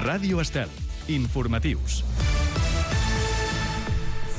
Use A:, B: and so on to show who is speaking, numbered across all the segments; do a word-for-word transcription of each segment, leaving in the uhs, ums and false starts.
A: Ràdio Estel. Informatius.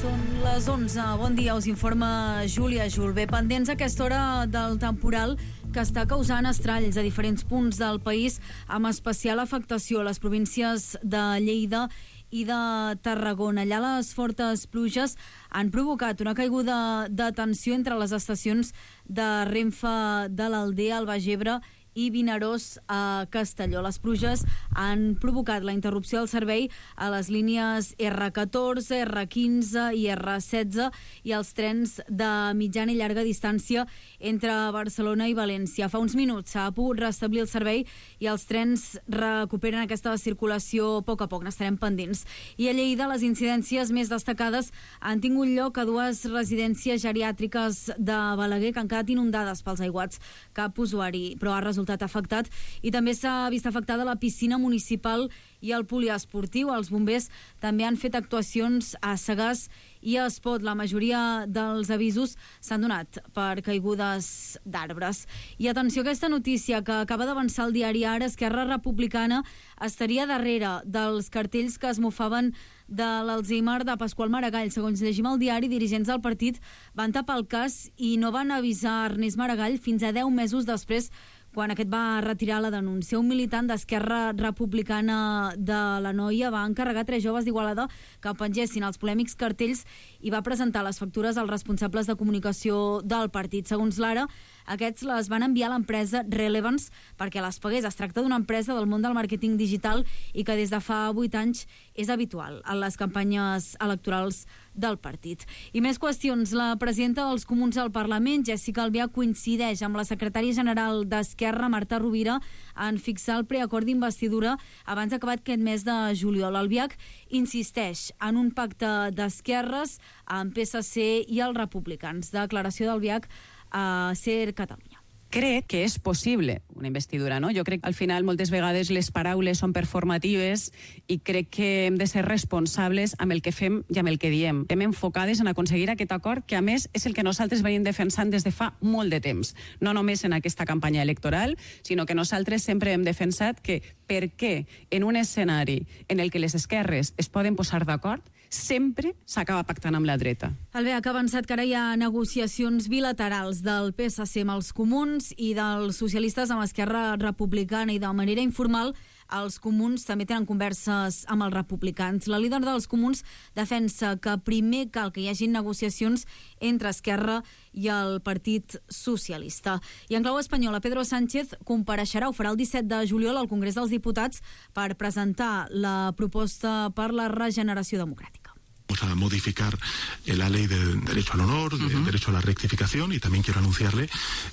B: Són les onze. Bon dia, us informa Júlia Julve. Pendents a aquesta hora del temporal que està causant estralls a diferents punts del país, amb especial afectació a les províncies de Lleida i de Tarragona. Allà les fortes pluges han provocat una caiguda de tensió entre les estacions de Renfe de l'Aldea, al Baix Ebre i Vinaròs a Castelló. Les pluges han provocat la interrupció del servei a les línies erre catorze, erre quinze i erre setze i els trens de mitjana i llarga distància entre Barcelona i València. Fa uns minuts s'ha pogut restablir el servei i els trens recuperen aquesta circulació a poc a poc, n'estarem pendents. I a Lleida les incidències més destacades han tingut lloc a dues residències geriàtriques de Balaguer que han quedat inundades pels aiguats. Cap usuari, però ha resultat afectat, i també s'ha vist afectada la piscina municipal i el poliesportiu. Els bombers també han fet actuacions a Sagàs i a Espot. La majoria dels avisos s'han donat per caigudes d'arbres. I atenció a aquesta notícia que acaba d'avançar el diari Ara. Esquerra Republicana estaria darrere dels cartells que es mofaven de l'Alzheimer de Pasqual Maragall. Segons llegim al diari, dirigents del partit van tapar el cas i no van avisar Ernest Maragall fins a deu mesos després, quan aquest va retirar la denúncia. Un militant d'Esquerra Republicana de l'Anoia va encarregar tres joves d'Igualada que pengessin els polèmics cartells i va presentar les factures als responsables de comunicació del partit. Segons l'Ara, aquests les van enviar a l'empresa Relevance perquè les pagués. Es tracta d'una empresa del món del màrqueting digital i que des de fa vuit anys és habitual en les campanyes electorals del partit. I més qüestions. La presidenta dels Comuns al Parlament, Jessica Albiach, coincideix amb la secretària general d'Esquerra, Marta Rovira, en fixar el preacord d'investidura abans d'acabar aquest mes de juliol. Albiach insisteix en un pacte d'esquerres amb P S C i els republicans. Declaració d'Albiach a Ser Catalunya.
C: Crec que és possible una investidura, no? Jo crec que al final moltes vegades les paraules són performatives i crec que hem de ser responsables amb el que fem i amb el que diem. Hem enfocades en aconseguir aquest acord que a més és el que nosaltres venim defensant des de fa molt de temps. No només en aquesta campanya electoral, sinó que nosaltres sempre hem defensat que per què en un escenari en el que les esquerres es poden posar d'acord sempre s'acaba pactant amb la dreta.
B: Albiach ha avançat que ara hi ha negociacions bilaterals del P S C amb els comuns i dels socialistes amb Esquerra Republicana, i de manera informal els comuns també tenen converses amb els republicans. La líder dels comuns defensa que primer cal que hi hagi negociacions entre Esquerra i el Partit Socialista. I en clau espanyola, Pedro Sánchez compareixerà, ho farà el disset de juliol al Congrés dels Diputats per presentar la proposta per la regeneració democràtica.
D: Vamos a modificar la ley de derecho al honor, de uh-huh. derecho a la rectificación, y también quiero anunciarle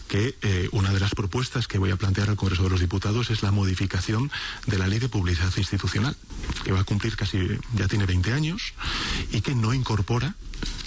D: que eh, una de las propuestas que voy a plantear al Congreso de los Diputados es la modificación de la ley de publicidad institucional, que va a cumplir casi, ya tiene veinte años, y que no incorpora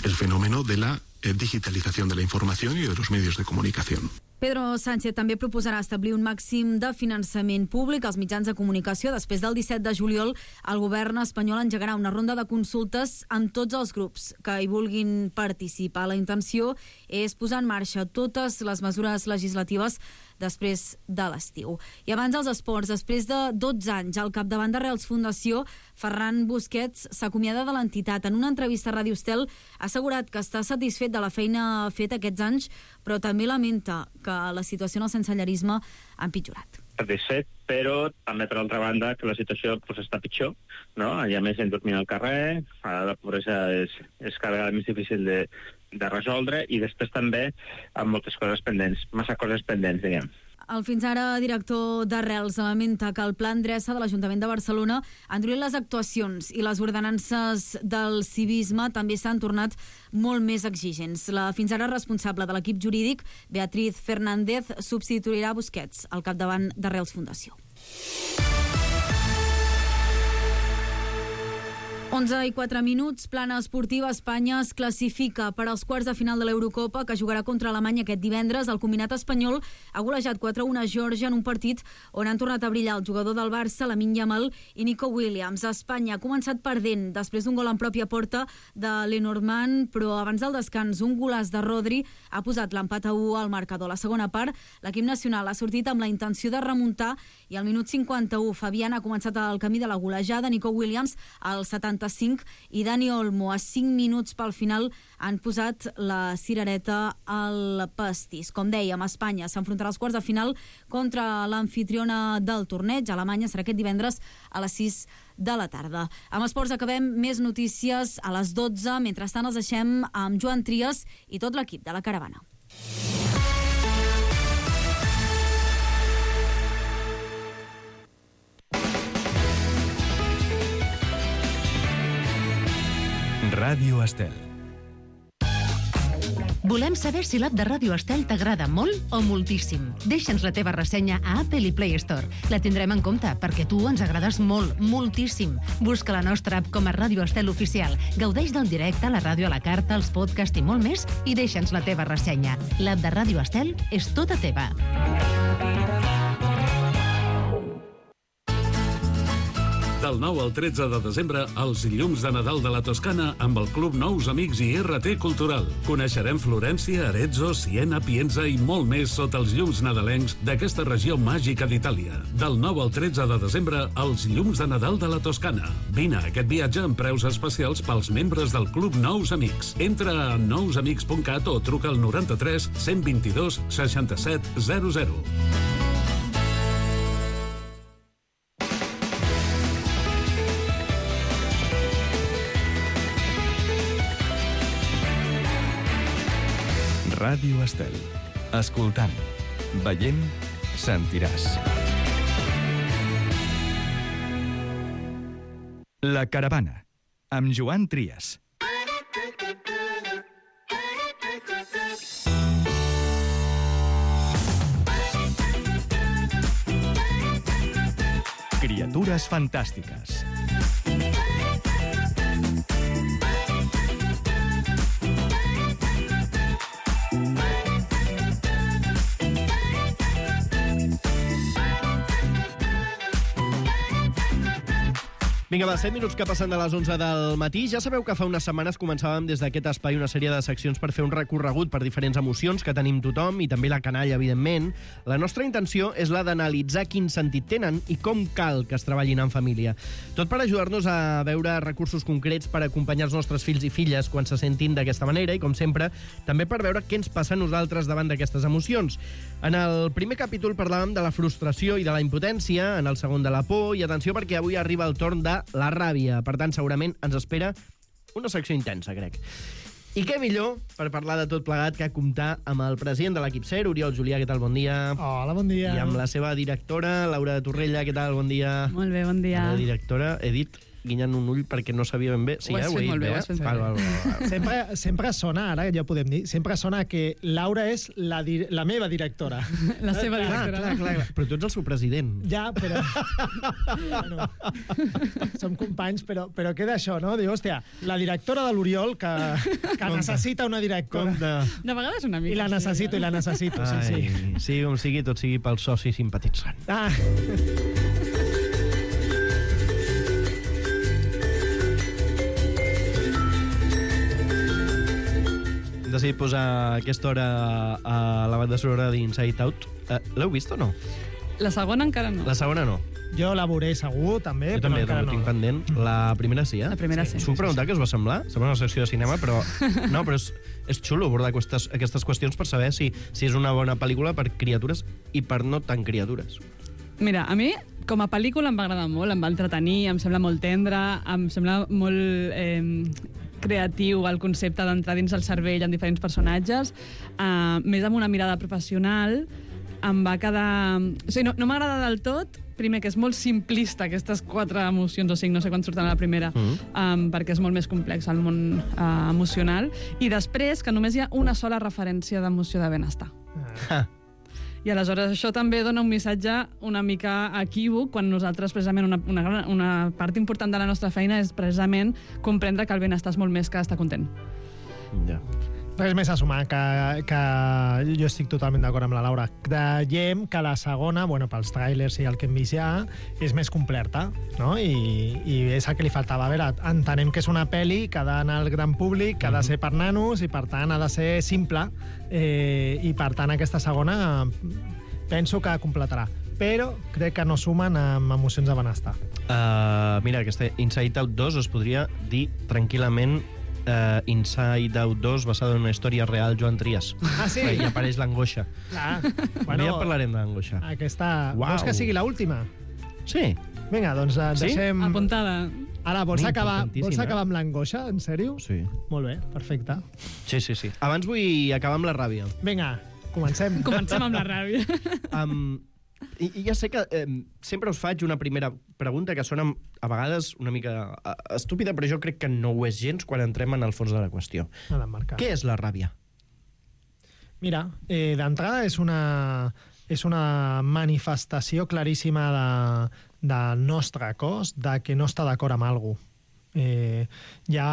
D: el fenómeno de la eh, digitalización de la información y de los medios de comunicación.
B: Pedro Sánchez també proposarà establir un màxim de finançament públic als mitjans de comunicació. Després del disset de juliol, el govern espanyol engegarà una ronda de consultes amb tots els grups que hi vulguin participar. La intenció és posar en marxa totes les mesures legislatives després de l'estiu. I abans dels esports, després de dotze anys al capdavant de Reals Fundació, Ferran Busquets s'acomiada de l'entitat. En una entrevista a Ràdio Estel ha assegurat que està satisfet de la feina feta aquests anys, però també lamenta que la situació en el sensellarisme ha empitjorat.
E: Satisfet, però també per altra banda que la situació pues, està pitjor, no? Hi ha més gent dormint al carrer, la pobresa és, és cada vegada més difícil de, de resoldre, i després també amb moltes coses pendents, massa coses pendents, diguem.
B: El fins ara director d'Arrels lamenta que el Pla Endreça de l'Ajuntament de Barcelona ha endurit les actuacions i les ordenances del civisme també s'han tornat molt més exigents. La fins ara responsable de l'equip jurídic, Beatriz Fernández, substituirà Busquets al capdavant d'Arrels Fundació. onze i quatre minuts, plana esportiva. Espanya es classifica per als quarts de final de l'Eurocopa, que jugarà contra Alemanya aquest divendres. El combinat espanyol ha golejat quatre a un a Geòrgia en un partit on han tornat a brillar el jugador del Barça, Lamine Yamal, i Nico Williams. Espanya ha començat perdent després d'un gol en pròpia porta de Lenormand, però abans del descans un golaç de Rodri ha posat l'empat a u al marcador. A la segona part, l'equip nacional ha sortit amb la intenció de remuntar i al minut cinquanta-u Fabián ha començat el camí de la golejada. Nico Williams al setanta-cinc i Dani Olmo a cinc minuts pel final han posat la cirereta al pastís. Com dèiem, Espanya s'enfrontarà als quarts de final contra l'amfitriona del torneig. Alemanya serà aquest divendres a les sis de la tarda. Amb esports acabem, més notícies a les dotze. Mentrestant els deixem amb Joan Trias i tot l'equip de la Caravana.
A: Ràdio Estel.
F: Volem saber si l'app de Ràdio Estel t'agrada molt o moltíssim. Deixa'ns la teva ressenya a Apple i Play Store. La tindrem en compte, perquè tu ens agrades molt, moltíssim. Busca la nostra app com a Ràdio Estel Oficial. Gaudeix del directe, la ràdio a la carta, els podcasts i molt més, i deixa'ns la teva ressenya. L'app de Ràdio Estel és tota teva.
G: Del nou al tretze de desembre, els llums de Nadal de la Toscana amb el Club Nous Amics i R T Cultural. Coneixerem Florència, Arezzo, Siena, Pienza i molt més sota els llums nadalencs d'aquesta regió màgica d'Itàlia. Del nou al tretze de desembre, els llums de Nadal de la Toscana. Vine a aquest viatge amb preus especials pels membres del Club Nous Amics. Entra a nous amics punt cat o truca al noranta-tres cent vint-i-dos seixanta-set zero zero.
A: Ràdio Estel. Escoltant, veient, sentiràs. La Caravana, amb Joan Trias. Criatures fantàstiques.
H: Vinga, va, set minuts que passen de les onze del matí. Ja sabeu que fa unes setmanes començàvem des d'aquest espai una sèrie de seccions per fer un recorregut per diferents emocions que tenim tothom i també la canalla, evidentment. La nostra intenció és la d'analitzar quin sentit tenen i com cal que es treballin en família. Tot per ajudar-nos a veure recursos concrets per acompanyar els nostres fills i filles quan se sentin d'aquesta manera i, com sempre, també per veure què ens passa a nosaltres davant d'aquestes emocions. En el primer capítol parlàvem de la frustració i de la impotència, en el segon de la por, i atenció perquè avui arriba el torn de la ràbia. Per tant, segurament ens espera una secció intensa, crec. I què millor per parlar de tot plegat que comptar amb el president de l'equip SER, Oriol Julià, què tal, bon dia.
I: Hola, bon dia.
H: I amb la seva directora, Laura Torrella, què tal, bon dia.
C: Molt bé, bon dia.
H: La directora, he dit guinyant un ull perquè no sabia ben bé. Sí,
C: ho has
H: eh,
C: fet molt bé,
H: bé,
C: ho has fet
H: val, val, val, val.
I: Sempre, sempre sona, ara ja ho podem dir, sempre sona que Laura és la, di la meva directora.
C: La seva
H: Clar,
C: directora.
H: clar, clar, clar. Però tu ets el seu president.
I: Ja, però... bueno, som companys, però, però queda això, no? Diu, hòstia, la directora de l'Oriol, que, que necessita una directora.
H: De...
C: De vegades una mica.
I: I la necessito, i la necessito, sí, sí.
H: Ai, sigui com sigui, tot sigui pel soci simpatitzant.
I: Ah.
H: Hem decidit posar aquesta hora a la banda sonora d'Inside Out. Uh, L'heu vist o no?
C: La segona encara no.
H: La segona no.
I: Jo la veuré segur, també,
H: Jo
I: però
H: també
I: encara
H: ho tinc
I: no.
H: pendent. La primera sí, eh?
C: La primera sí.
H: Us puc preguntar què us va semblar? Sembla una secció de cinema, però... No, però és, és xulo abordar aquestes, aquestes qüestions per saber si, si és una bona pel·lícula per criatures i per no tan criatures.
C: Mira, a mi, com a pel·lícula, em va agradar molt, em va entretenir, em sembla molt tendre, em sembla molt... Eh, creatiu el concepte d'entrar dins el cervell en diferents personatges, uh, més amb una mirada professional, em va quedar... O sigui, no, no m'agrada del tot, primer que és molt simplista aquestes quatre emocions, o cinc, no sé quan surten a la primera, mm. um, perquè és molt més complex el món uh, emocional, i després que només hi ha una sola referència d'emoció de benestar.
H: Ah.
J: I aleshores això també dona un missatge una mica equívoc quan nosaltres precisament una, una, una part important de la nostra feina és precisament comprendre que el benestar és molt més que estar content.
H: Ja.
I: Res més a sumar, que, que jo estic totalment d'acord amb la Laura. Creiem que la segona, bueno, pels tràilers i el que hem vist ja, és més completa, no? I, i és el que li faltava. A veure, entenem que és una pel·li que ha d'anar al gran públic, que ha de ser per nanos i, per tant, ha de ser simple. Eh, I, per tant, aquesta segona penso que completarà. Però crec que no sumen amb emocions de benestar.
H: Uh, mira, aquesta Inside Out dos es podria dir tranquil·lament Uh, Inside Out dos basada en una història real Joan Trias.
I: Ah, sí?
H: I apareix l'angoixa.
I: Clar.
H: Bueno, ja parlarem d'angoixa.
I: Aquesta...
H: Uau.
I: Vols que sigui l'última?
H: Sí.
I: Vinga, doncs uh,
H: sí?
I: deixem...
J: Apuntada.
I: Ara, vols
H: Molt
I: acabar, vols
H: importantíssim,
I: acabar
H: eh?
I: amb l'angoixa? En sèrio?
H: Sí.
I: Molt bé, perfecte.
H: Sí, sí, sí. Abans vull acabar amb la ràbia.
I: Vinga, comencem.
J: Comencem amb la ràbia.
H: Um, i, I ja sé que eh, sempre us faig una primera pregunta que sona a vegades una mica uh, estúpida, però jo crec que no ho és gens quan entrem en el fons de la qüestió. Què és la ràbia?
I: Mira, eh, d'entrada és una, és una manifestació claríssima de, del nostre cos de que no està d'acord amb alguna cosa. Eh, ja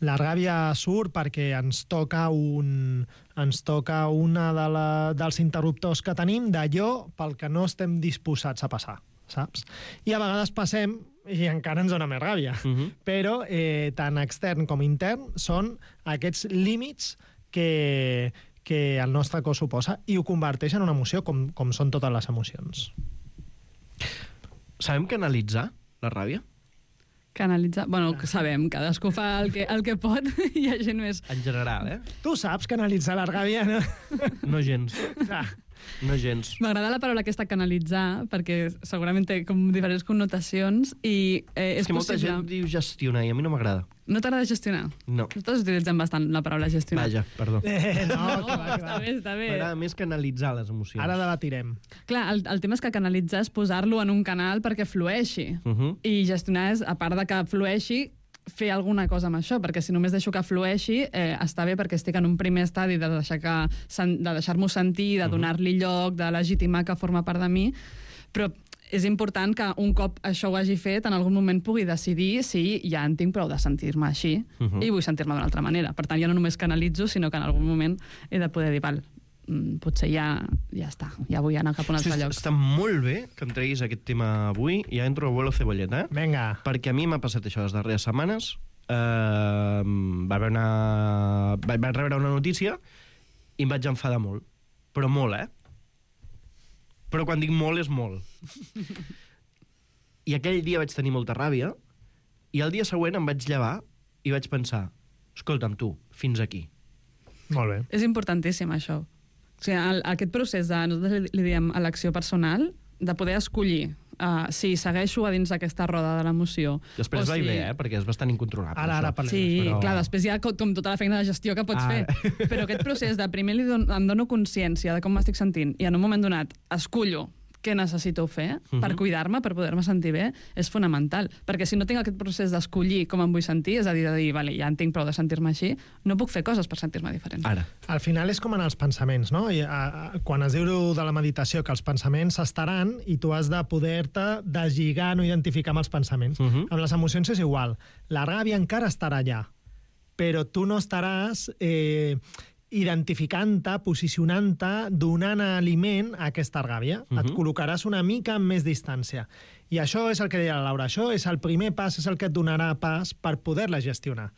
I: la ràbia surt perquè ens toca un ens toca una de la, dels interruptors que tenim d'allò pel que no estem disposats a passar, saps? I a vegades passem i encara ens dona més ràbia. Uh-huh. Però eh, tant extern com intern són aquests límits que, que el nostre cos suposa i ho converteix en una emoció com, com són totes les emocions.
H: Sabem canalitzar la ràbia?
J: Canalitzar... Bueno, sabem, cadascú fa el que, el que pot i hi ha gent més...
H: En general, eh?
I: Tu saps canalitzar la ràbia, no?
H: No gens.
I: Ah.
H: No gens.
J: M'agrada la paraula aquesta canalitzar, perquè segurament té com diferents connotacions i eh, és,
H: és que molta
J: possible...
H: gent diu gestionar i a mi no m'agrada.
J: No t'agrada gestionar?
H: No.
J: Nosaltres utilitzem bastant la paraula gestionar.
H: Vaja, perdó.
I: Eh, no,
J: no,
I: que va, que
J: està
I: va.
J: bé, està bé.
H: M'agrada més canalitzar les emocions.
I: Ara debatirem.
J: Clar, el, el tema és que canalitzar és posar-lo en un canal perquè flueixi.
H: Uh -huh.
J: I gestionar és, a part de que flueixi, fer alguna cosa amb això, perquè si només deixo que flueixi, eh, està bé perquè estic en un primer estadi de deixar-me de deixar sentir, de donar-li lloc, de legitimar que forma part de mi, però és important que un cop això ho hagi fet, en algun moment pugui decidir si ja en tinc prou de sentir-me així
H: Uh-huh.
J: i vull sentir-me d'una altra manera. Per tant, ja no només canalitzo, sinó que en algun moment he de poder dir, val, potser ja, ja està, ja vull anar cap a un altre
H: Està,
J: lloc.
H: està molt bé que em treguis aquest tema avui. Ja entro a vuelo cebolleta, eh?
I: Vinga.
H: Perquè a mi m'ha passat això les darreres setmanes. Uh, va haver una... Vaig rebre una notícia i em vaig enfadar molt. Però molt, eh? Però quan dic molt, és molt. I aquell dia vaig tenir molta ràbia i el dia següent em vaig llevar i vaig pensar, escolta'm tu, fins aquí.
I: Molt bé.
J: És importantíssim, això. O sigui, el, aquest procés de, nosaltres li, li diem elecció personal, de poder escollir uh, si segueixo a dins d'aquesta roda de l'emoció.
H: Després va
J: si...
H: i bé, eh? Perquè és bastant incontrolable.
I: Ara, ara parlem.
J: Sí,
H: però...
J: clar, després hi ha com, com tota la feina de gestió que pots
H: Ah.
J: fer. Però aquest procés de primer li don, em dono consciència de com m'estic sentint i en un moment donat escullo què necessito fer
H: Uh-huh.
J: per cuidar-me, per poder-me sentir bé, és fonamental. Perquè si no tinc aquest procés d'escollir com em vull sentir, és a dir, de dir, vale, ja en tinc prou de sentir-me així, no puc fer coses per sentir-me diferent.
H: Ara.
I: Al final és com en els pensaments, no? I, a, a, quan es diu de la meditació que els pensaments estaran i tu has de poder-te deslligar, no identificar amb els pensaments.
H: Uh-huh.
I: Amb les emocions és igual. La ràbia encara estarà allà, però tu no estaràs... Eh, identificant-te, posicionant-te, donant aliment a aquesta ràbia. Uh-huh. Et col·locaràs una mica amb més distància. I això és el que deia la Laura, això és el primer pas, és el que et donarà pas per poder-la gestionar.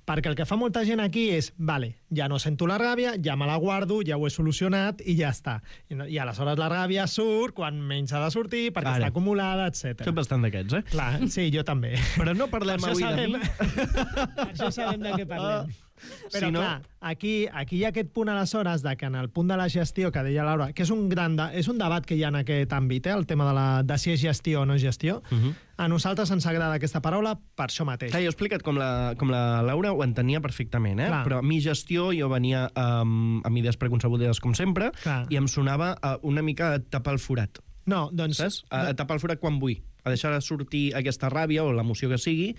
I: Perquè el que fa molta gent aquí és, vale, ja no sento la ràbia, ja me la guardo, ja ho he solucionat i ja està. I, no, i aleshores la ràbia surt quan menys ha de sortir, perquè
H: Ara.
I: està acumulada, etcètera.
H: Soc bastant d'aquests, eh?
I: Clar, sí, jo també.
H: Però no parlem
I: Per això
H: avui
I: sabem-
H: de mi.
I: Per això sabem de què parlem. Però,
H: Si no-
I: clar, aquí, aquí hi ha aquest punt aleshores de que en el punt de la gestió que deia Laura, que és un gran de, és un debat que hi ha en aquest àmbit, eh, el tema de, la, de si és gestió o no és gestió,
H: Uh-huh.
I: a nosaltres ens agrada aquesta paraula per això mateix.
H: Clar, jo he explicat com la, com la Laura ho entenia perfectament, eh?
I: Clar.
H: Però a mi gestió, jo venia um, amb idees preconcebudes com sempre,
I: Clar.
H: i em sonava uh, una mica a tapar el forat,
I: No, doncs...
H: saps? A, a tapar el forat quan vull, a deixar de sortir aquesta ràbia o l'emoció que sigui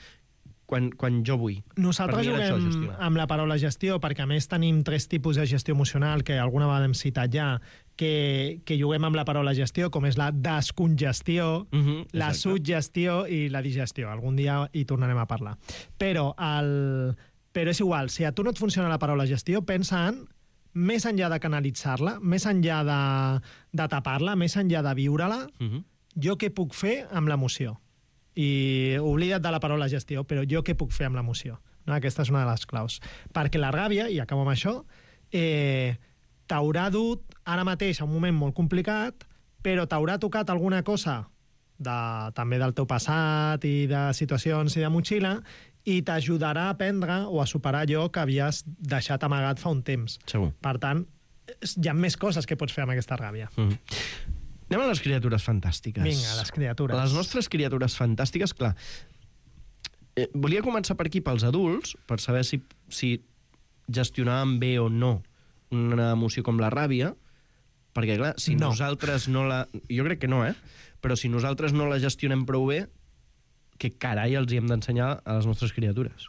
H: quan, quan jo vull.
I: Nosaltres
H: Per mi era això,
I: juguem
H: gestionar.
I: amb la paraula gestió perquè a més tenim tres tipus de gestió emocional que alguna vegada hem citat ja, que, que juguem amb la paraula gestió, com és la descongestió,
H: Mhm,
I: la
H: exacte.
I: suggestió i la digestió. Algun dia hi tornarem a parlar. Però, el... Però és igual, si a tu no et funciona la paraula gestió, pensa en, més enllà de canalitzar-la, més enllà de, de tapar-la, més enllà de viure-la,
H: Mhm.
I: jo què puc fer amb l'emoció? I oblida't de la paraula gestió, però jo què puc fer amb l'emoció? No? Aquesta és una de les claus. Perquè la ràbia, i acabo amb això, eh, t'haurà dut ara mateix a un moment molt complicat, però t'haurà tocat alguna cosa de, també del teu passat i de situacions i de motxilla, i t'ajudarà a aprendre o a superar allò que havies deixat amagat fa un temps.
H: Segur.
I: Per tant, hi ha més coses que pots fer amb aquesta ràbia.
H: Mhm. Anem a les criatures fantàstiques.
I: Vinga, les criatures.
H: Les nostres criatures fantàstiques, clar. Eh, volia començar per aquí, pels adults, per saber si, si gestionàvem bé o no una emoció com la ràbia, perquè, clar, si
I: No.
H: nosaltres no la... Jo crec que no, eh? Però si nosaltres no la gestionem prou bé, què carai els hi hem d'ensenyar a les nostres criatures?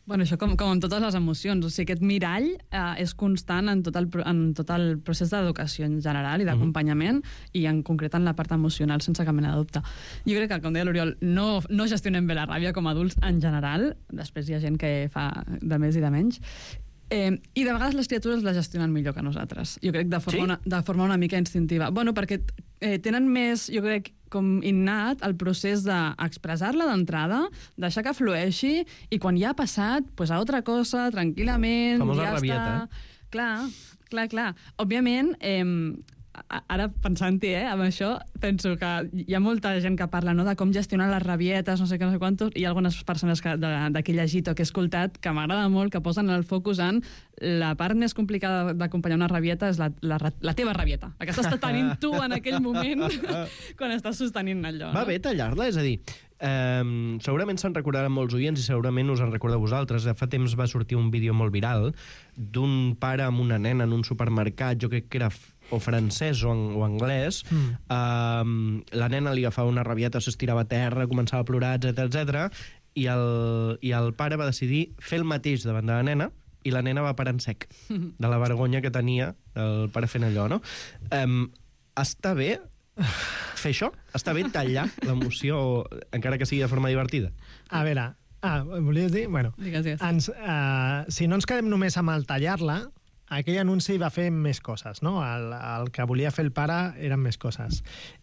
J: Bueno, això com, com amb totes les emocions. O sigui, aquest mirall eh, és constant en tot el, pro- en tot el procés d'educació en general i d'acompanyament, i en concret en la part emocional, sense cap mena de dubte. Jo crec que, com deia l'Oriol, no, no gestionem bé la ràbia com a adults en general. Després hi ha gent que fa de més i de menys. Eh, I de vegades les criatures la gestionen millor que nosaltres. Jo crec de forma,
H: Sí?
J: una, de forma una mica instintiva. Bueno, perquè eh, tenen més, jo crec, com innat el procés d'expressar-la d'entrada, deixar que flueixi, i quan ja ha passat, pues a altra cosa, tranquil·lament,
H: Famosa
J: ja
H: rabieta,
J: està... Clar, clar, clar. Òbviament, eh, a- ara pensant-hi, eh, amb això, penso que hi ha molta gent que parla, no?, de com gestionar les rabietes, no sé què, no sé quantos, i hi ha algunes persones que, de, de que he llegit o que he escoltat que m'agrada molt, que posen el focus en la part més complicada d'acompanyar una rabieta és la, la, la teva rabieta, la que estàs tenint tu en aquell moment quan estàs sostenint allò.
H: Va
J: no?
H: bé tallar-la, és a dir, eh, segurament se'n recordaran molts oients i segurament us en recordeu vosaltres. Fa temps va sortir un vídeo molt viral d'un pare amb una nena en un supermercat, jo crec que era f- o francès o, ang o anglès. Mm. Eh, la nena li agafava una rabieta, s'estirava a terra, començava a plorar, etcètera etcètera, i el, i el pare va decidir fer el mateix davant de la nena, i la nena va parar en sec de la vergonya que tenia el pare fent allò, no? Um, està bé fer això? Està bé tallar l'emoció, encara que sigui de forma divertida?
I: A veure, ah, volies dir? Bueno,
J: Digues, digues.
I: ens, uh, si no ens quedem només amb el tallar-la, aquell anunci va fer més coses, no? El, el que volia fer el pare eren més coses.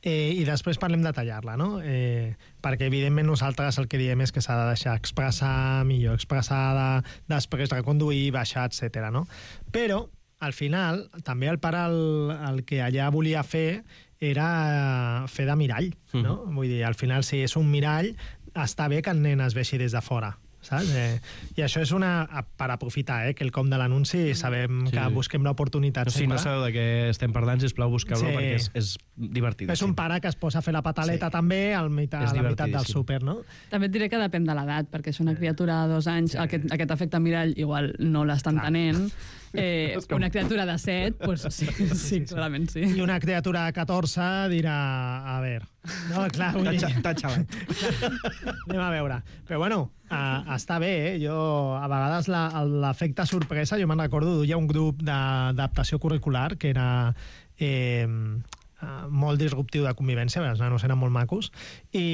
I: Eh, I després parlem de tallar-la, no? Eh, perquè, evidentment, nosaltres el que diem és que s'ha de deixar expressar, millor expressada, després reconduir, baixar, etcètera, no? Però, al final, també el pare el, el que allà volia fer era fer de mirall, no? Mm. Vull dir, al final, si és un mirall, està bé que el nen es vegi des de fora, saps? Eh, I això és una... per aprofitar, eh, que el com de l'anunci sabem
H: Sí.
I: que busquem l'oportunitat
H: No, si
I: sempre.
H: no sabeu de què estem parlant, sisplau, busqueu-lo,
I: Sí.
H: perquè és, és divertit.
I: És un pare que es posa a fer la pataleta
H: Sí.
I: també al meitat,
H: És
I: a la meitat del
H: divertidíssim.
I: súper, no?
J: També et diré que depèn de l'edat, perquè si una criatura de dos anys, aquest, aquest efecte mirall igual no l'estan tenent. Eh, una criatura de set, pues sí, sí, sí, clarament sí.
I: I una criatura de catorze dirà, a veure... No, clar, vull dir...
H: T'ha xalat.
I: Anem a veure. Però bueno, uh, està bé, eh? Jo, a vegades la- l'efecte sorpresa, jo me'n recordo, duia un grup de- d'adaptació curricular que era eh, uh, molt disruptiu de convivència, els nanos eren molt macos, i,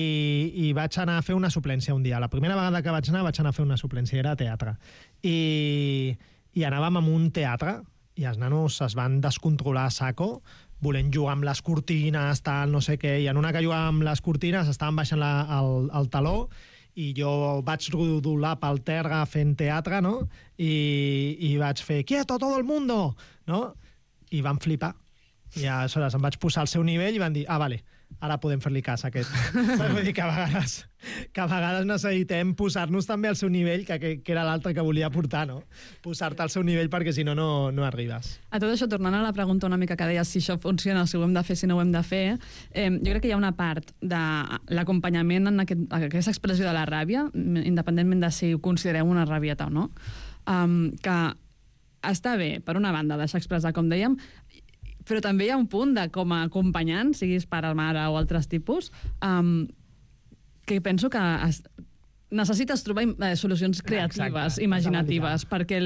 I: i vaig anar a fer una suplència un dia. La primera vegada que vaig anar, vaig anar a fer una suplència, era a teatre. I, i anàvem a un teatre, i els nanos es van descontrolar a saco, volent jugar amb les cortines, tal, no sé què, i en una que jugàvem amb les cortines estaven baixant la, el, el taló, i jo vaig rodolar pel terra fent teatre, no? I, i vaig fer, quieto todo el mundo, no? I van flipar. I aleshores em vaig posar al seu nivell i van dir, ah, vale, ara podem fer-li cas a aquest. Vull dir que a vegades, que a vegades necessitem posar-nos també al seu nivell, que, que, que era l'altre que volia portar, no? Posar-te al seu nivell perquè si no, no, no arribes.
J: A tot això, tornant a la pregunta una mica que deies si això funciona, si ho hem de fer, si no ho hem de fer, eh, jo crec que hi ha una part de l'acompanyament en aquest, aquesta expressió de la ràbia, independentment de si ho considerem una rabieta o no, um, que està bé, per una banda, deixar expressar, com dèiem, però també hi ha un punt de com a acompanyant, siguis pare, mare o altres tipus, um, que penso que es, necessites trobar eh, solucions creatives,
I: Exacte,
J: imaginatives, perquè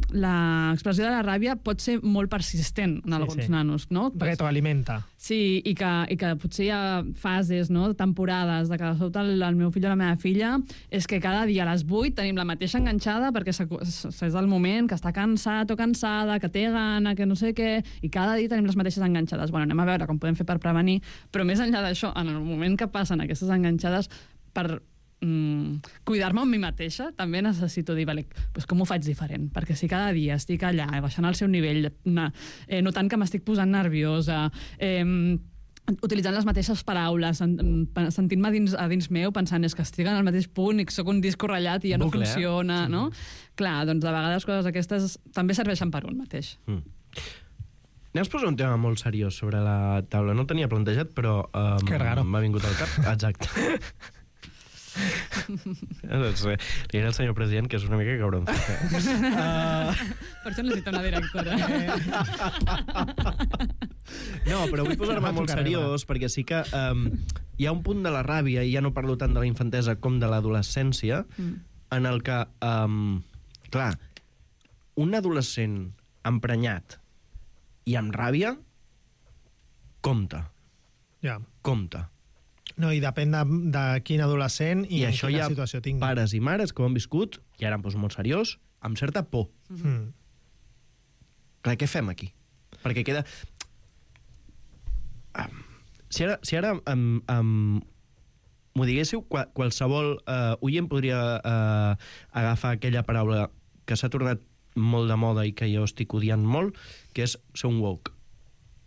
J: l'expressió de la ràbia pot ser molt persistent en
I: Sí,
J: alguns
I: sí.
J: nanos, no?
I: Retroalimenta.
J: Sí, i que, i que potser hi ha fases, no? Temporades, de que de sobte el, el meu fill o la meva filla és que cada dia a les vuit tenim la mateixa enganxada perquè s'acu- és el moment que està cansat o cansada, que té gana, que no sé què, i cada dia tenim les mateixes enganxades. Bueno, anem a veure com podem fer per prevenir, però més enllà d'això, en el moment que passen aquestes enganxades, per mm, cuidar-me amb mi mateixa, també necessito dir, vale, pues com ho faig diferent? Perquè si cada dia estic allà, baixant el seu nivell, eh, notant que m'estic posant nerviosa, eh, utilitzant les mateixes paraules, sentint-me dins, a dins meu, pensant és que estic en el mateix punt i que soc un disco ratllat i ja no
H: Bucle, eh?
J: funciona, no? Clar, doncs de vegades coses aquestes també serveixen per un mateix.
H: Mm. Anem a posar un tema molt seriós sobre la taula. No el tenia plantejat, però um,
I: Que raro.
H: m'ha vingut al cap. Exacte. doncs, eh, li diré al senyor president que és una mica cabron. uh...
J: Per això necessita una directora.
H: No, però vull posar-me molt seriós perquè sí que um, hi ha un punt de la ràbia, i ja no parlo tant de la infantesa com de l'adolescència, mm. en el que, um, clar, un adolescent emprenyat i amb ràbia, compta.
I: Ja.
H: Compta.
I: No, i depèn de, de quin adolescent i,
H: I
I: en
H: això
I: quina
H: hi ha
I: situació tingui.
H: pares i mares que ho han viscut, i ara em poso molt seriós, amb certa por.
I: Mm.
H: Clar, què fem aquí? Perquè queda... Um, si ara, si ara um, um, m'ho diguéssiu, qual, qualsevol uh, oient podria uh, agafar aquella paraula que s'ha tornat molt de moda i que jo estic odiant molt, que és ser un woke.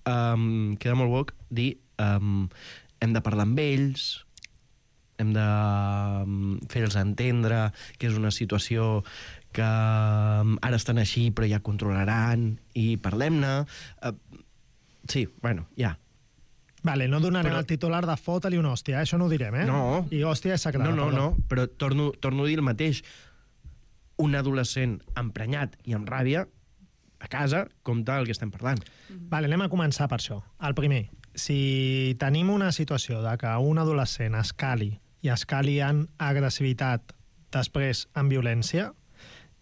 H: Um, queda molt woke dir um, hem de parlar amb ells, hem de um, fer-los entendre que és una situació que um, ara estan així però ja controlaran i parlem-ne. Uh, sí, bueno, ja.
I: Vale, no donarem
H: Però-
I: el titular de fota-li una hòstia, eh? Això no ho direm, eh?
H: No.
I: I hòstia és sagrada.
H: No, no,
I: perdó.
H: no, però torno, torno a dir el mateix. Un adolescent emprenyat i amb ràbia, a casa, compta el que estem parlant.
I: Vale, anem a començar per això. El primer, si tenim una situació de que un adolescent escali i escali en agressivitat, després en violència,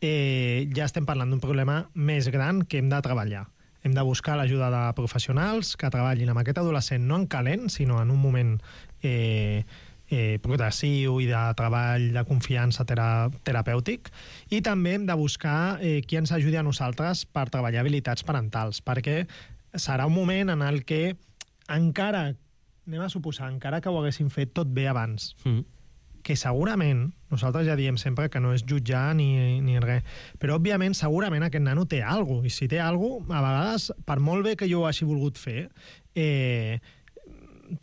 I: eh, ja estem parlant d'un problema més gran que hem de treballar. Hem de buscar l'ajuda de professionals que treballin amb aquest adolescent no en calent, sinó en un moment eh, eh, progressiu i de treball de confiança tera terapèutic, i també hem de buscar eh, qui ens ajudi a nosaltres per treballar habilitats parentals, perquè serà un moment en el que encara, anem a suposar, encara que ho haguéssim fet tot bé abans,
H: Mm.
I: que segurament, nosaltres ja diem sempre que no és jutjar ni, ni res, però òbviament segurament aquest nano té alguna cosa, i si té alguna cosa, a vegades, per molt bé que jo ho hagi volgut fer, eh,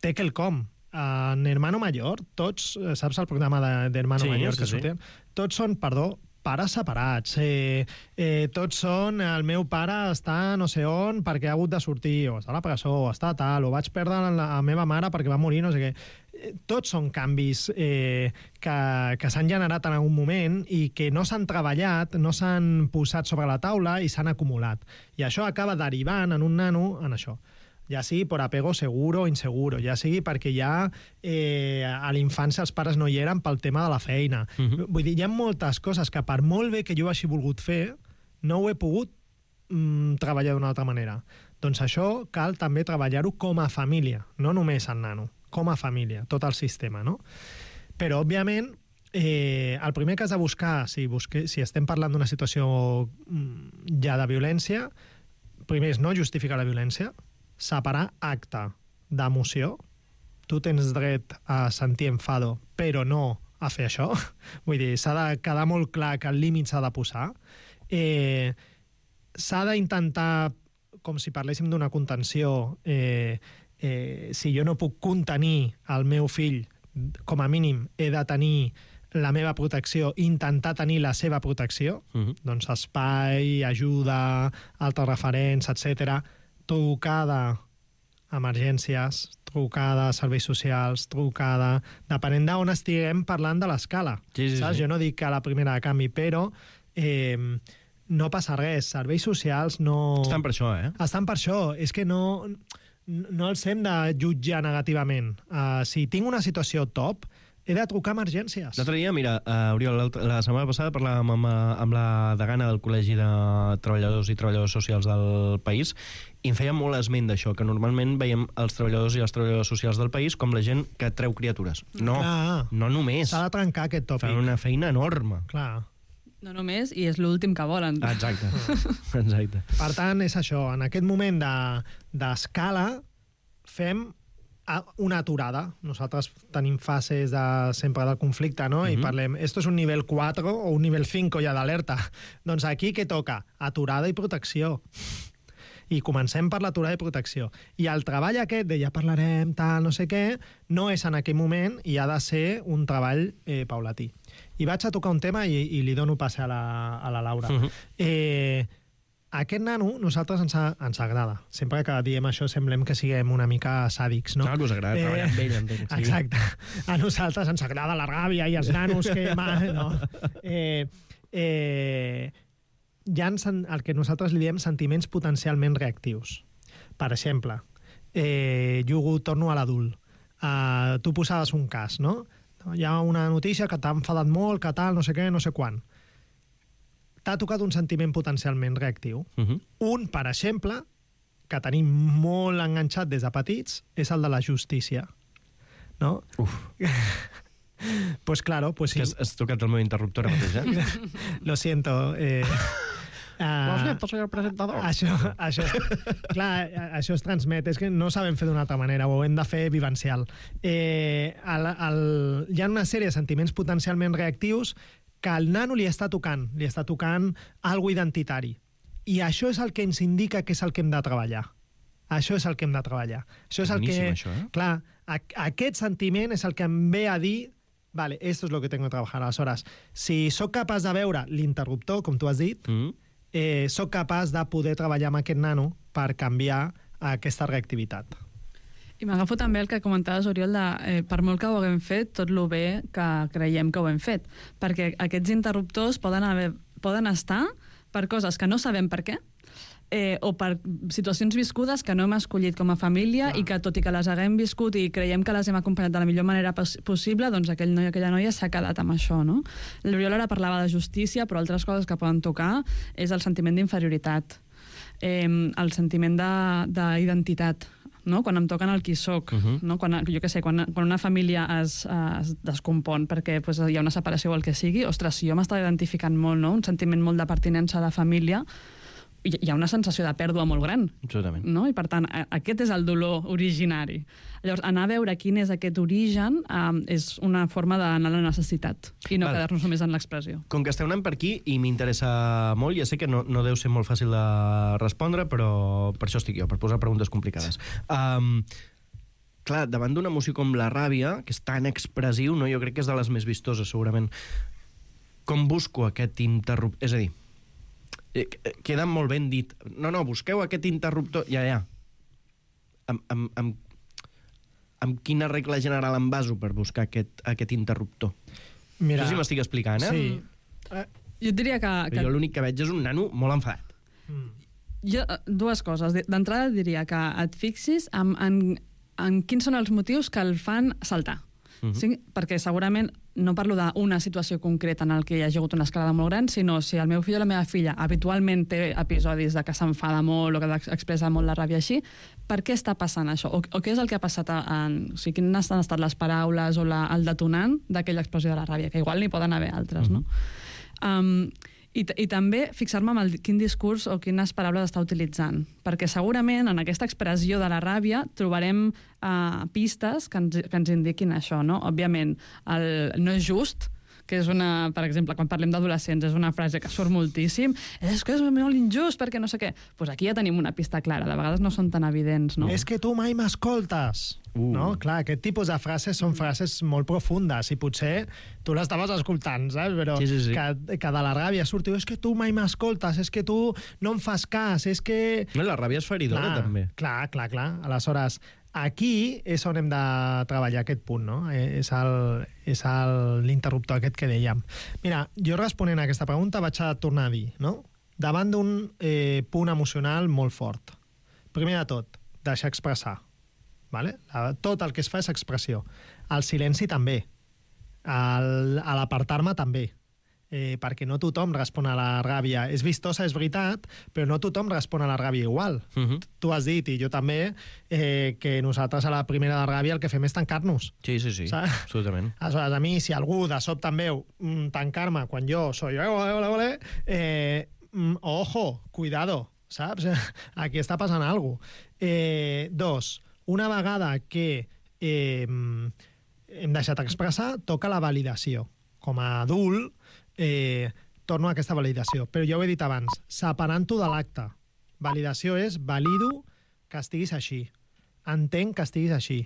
I: té quelcom. En Hermano Mayor, tots, eh, saps el programa de- d'Hermano
H: Sí,
I: Mayor
H: sí,
I: que
H: sí.
I: sortien? Tots són, perdó, pares separats. Eh, eh, tots són, el meu pare està no sé on perquè ha hagut de sortir, o està a la presó, o està tal, o vaig perdre la, la meva mare perquè va morir, no sé què. Eh, Tots són canvis eh, que, que s'han generat en algun moment i que no s'han treballat, no s'han posat sobre la taula i s'han acumulat. I això acaba derivant en un nano en això. Ja sigui per apego seguro o inseguro, ja sigui perquè ja eh, a la infància els pares no hi eren pel tema de la feina.
H: Mhm.
I: Vull dir, hi ha moltes coses que per molt bé que jo hagi volgut fer, no ho he pogut mm, treballar d'una altra manera. Doncs això cal també treballar-ho com a família, no només el nano, com a família, tot el sistema, no? Però, òbviament, eh, el primer que has de buscar, si, busque, si estem parlant d'una situació mm, ja de violència, primer és no justificar la violència, separar acte d'emoció. Tu tens dret a sentir enfado, però no a fer això. Vull dir, s'ha de quedar molt clar que el límit s'ha de posar. Eh, s'ha d'intentar, com si parléssim d'una contenció, eh, eh, si jo no puc contenir el meu fill, com a mínim he de tenir la meva protecció, intentar tenir la seva protecció,
H: Mhm.
I: doncs espai, ajuda, altres referents, etcètera, trucada a emergències, trucada a serveis socials, trucada... Depenent d'on estiguem parlant de l'escala.
H: Sí, sí,
I: saps?
H: sí.
I: Jo no dic que a la primera de canvi, però eh, no passa res. Serveis socials no...
H: Estan per això, eh?
I: Estan per això. És que no, no els hem de jutjar negativament. Uh, si tinc una situació top, he de trucar a emergències.
H: L'altre dia, mira, uh, Oriol, la setmana passada parlàvem amb, amb la degana del Col·legi de Treballadors i Treballadors Socials del país i em feia molt esment d'això, que normalment veiem els treballadors i les treballadores socials del país com la gent que treu criatures. No,
I: Clar.
H: no només.
I: S'ha de trencar aquest tòpic.
H: Fan una feina enorme.
I: Clar.
J: No només, i és l'últim que volen.
H: Exacte. Exacte.
I: Per tant, és això. En aquest moment d'escala de, fem una aturada. Nosaltres tenim fases de, sempre del conflicte, no? Mm-hmm. I parlem, esto es un nivell quatre o un nivell cinc ja d'alerta. Doncs aquí què toca? Aturada i protecció. I comencem per l'aturada i protecció. I el treball aquest de ja parlarem, tal, no sé què, no és en aquell moment i ha de ser un treball eh, paulatí. I vaig a tocar un tema i, i li dono passe a la, a la Laura. Mm-hmm. eh, Aquest nano, nosaltres ens, a, ens agrada. Sempre que diem això semblem que siguem una mica sàdics, no?
H: Clar que us agrada eh, treballar amb ell, entenc. Sí.
I: Exacte. A nosaltres ens agrada la ràbia i els nanos que... No. Eh, eh, hi ha el que nosaltres li diem sentiments potencialment reactius. Per exemple, eh, jugo, torno a l'adult. Uh, tu posaves un cas, no? Hi ha una notícia que t'ha enfadat molt, que tal, no sé què, no sé quan. T'ha tocat un sentiment potencialment reactiu. Uh-huh. Un, per exemple, que tenim molt enganxat des de petits, és el de la justícia. No?
H: Uf.
I: Pues claro, pues sí.
H: Has, has tocat el meu interruptor mateix, eh?
I: Lo siento. Eh, uh,
H: Lo siento, senyor presentador.
I: Això, això, clar, això es transmet. És que no sabem fer d'una altra manera, ho hem de fer vivencial. Eh, el, el, hi ha una sèrie de sentiments potencialment reactius que al nano li està tocant, li està tocant algo identitari. I això és el que ens indica que és el que hem de treballar. Això és el que hem de treballar. Això és el que...
H: això, eh?
I: Clar, a, aquest sentiment és el que em ve a dir vale, esto es lo que tengo que trabajar. Aleshores, si sóc capaç de veure l'interruptor, com tu has dit, mm. eh, sóc capaç de poder treballar amb aquest nano per canviar aquesta reactivitat.
J: I m'agafo també el que comentaves, Oriol, de, eh, per molt que ho haguem fet, tot lo bé que creiem que ho hem fet. Perquè aquests interruptors poden, haver, poden estar per coses que no sabem per què, eh, o per situacions viscudes que no hem escollit com a família ah. i que, tot i que les haguem viscut i creiem que les hem acompanyat de la millor manera pos possible, doncs aquell noi o aquella noia s'ha quedat amb això, no? L'Oriol ara parlava de justícia, però altres coses que poden tocar és el sentiment d'inferioritat, eh, el sentiment d'identitat, no? Quan em toquen el qui soc, uh-huh. no? Quan, jo què sé, quan, quan una família es, es descompon perquè pues, hi ha una separació o el que sigui, ostres, si jo m'estava identificant molt, no? Un sentiment molt de pertinença a la família, hi ha una sensació de pèrdua molt gran.
H: Absolutament.
J: No? I per tant, aquest és el dolor originari. Llavors, anar a veure quin és aquest origen eh, és una forma d'anar a la necessitat i no quedar-nos només en l'expressió.
H: Com que esteu anant per aquí i m'interessa molt, ja sé que no, no deu ser molt fàcil de respondre, però per això estic jo, per posar preguntes complicades. Um, clar, davant d'una emoció com la ràbia, que és tan expressiu, no? Jo crec que és de les més vistoses, segurament. Com busco aquest interruptor? És a dir, queda molt ben dit. No, no, busqueu aquest interruptor. Ja, ja. Amb, amb, amb, amb quina regla general em baso per buscar aquest, aquest interruptor? Mira, no sé si m'estic explicant, eh?
J: Sí. Uh, jo diria que... que...
H: Jo l'únic que veig és un nano molt enfadat.
J: Mm. Jo, dues coses. D'entrada diria que et fixis en, en, en quins són els motius que el fan saltar. Uh-huh. Sí? Perquè segurament no parlo d'una situació concreta en el que hi ha hagut una escalada molt gran, sinó si el meu fill o la meva filla habitualment té episodis de que s'enfada molt o que expressa molt la ràbia així, per què està passant això? O, o què és el que ha passat en... O sigui, quines han estat les paraules o la, el detonant d'aquella expressió de la ràbia, que igual n'hi poden haver altres, uh-huh. no? Um, I, I també fixar-me en el, quin discurs o quines paraules està utilitzant. Perquè segurament en aquesta expressió de la ràbia trobarem uh, pistes que ens, que ens indiquin això, no? Òbviament, el no és just, que és una, per exemple, quan parlem d'adolescents, és una frase que surt moltíssim, és que és molt injust perquè no sé què. Doncs pues aquí ja tenim una pista clara, de vegades no són tan evidents, no?
I: És que tu mai m'escoltes. Uh. No? Clar, aquest tipus de frases són frases molt profundes i potser tu l'estaves escoltant, saps? Però
H: sí, sí, sí.
I: Que, que de la ràbia surti, és que tu mai m'escoltes, és que tu no em fas cas, és que...
H: No, la ràbia és feridora,
I: clar,
H: també.
I: Clar, clar, clar. Aleshores, aquí és on hem de treballar aquest punt, no? És l'interruptor aquest que dèiem. Mira, jo responent a aquesta pregunta vaig a tornar a dir, no? Davant d'un eh, punt emocional molt fort. Primer de tot, deixar expressar. Vale? Tot el que es fa és expressió. El silenci també. Al, a l'apartar-me també. Eh, perquè no tothom respon a la ràbia. És vistosa, és veritat, però no tothom respon a la ràbia igual. Uh-huh. Tu has dit, i jo també, eh, que nosaltres a la primera de ràbia el que fem és tancar-nos.
H: Sí, sí, sí, saps? Absolutament.
I: Aleshores, a mi, si algú de sobte em veu mm, tancar-me quan jo soy ole, ole, ole, eh, mm, ojo, cuidado, saps? Aquí està passant alguna cosa. Eh, dos, una vegada que eh, hem deixat expressar, toca la validació. Com a adult, eh, torno a aquesta validació. Però ja ho he dit abans, separant-ho de l'acte. Validació és valido que estiguis així. Entenc que estiguis així.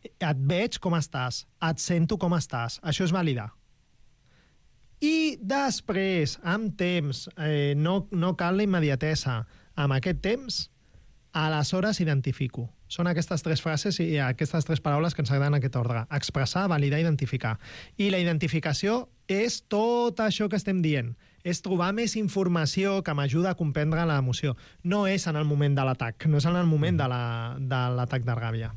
I: Et veig com estàs. Et sento com estàs. Això és validar. I després, amb temps, eh, no, no cal la immediatesa. Amb aquest temps, aleshores identifico. Són aquestes tres frases i aquestes tres paraules que ens agraden en aquest ordre. Expressar, validar, identificar. I la identificació és tot això que estem dient. És trobar més informació que m'ajuda a comprendre l'emoció. No és en el moment de l'atac, no és en el moment de l'atac de ràbia.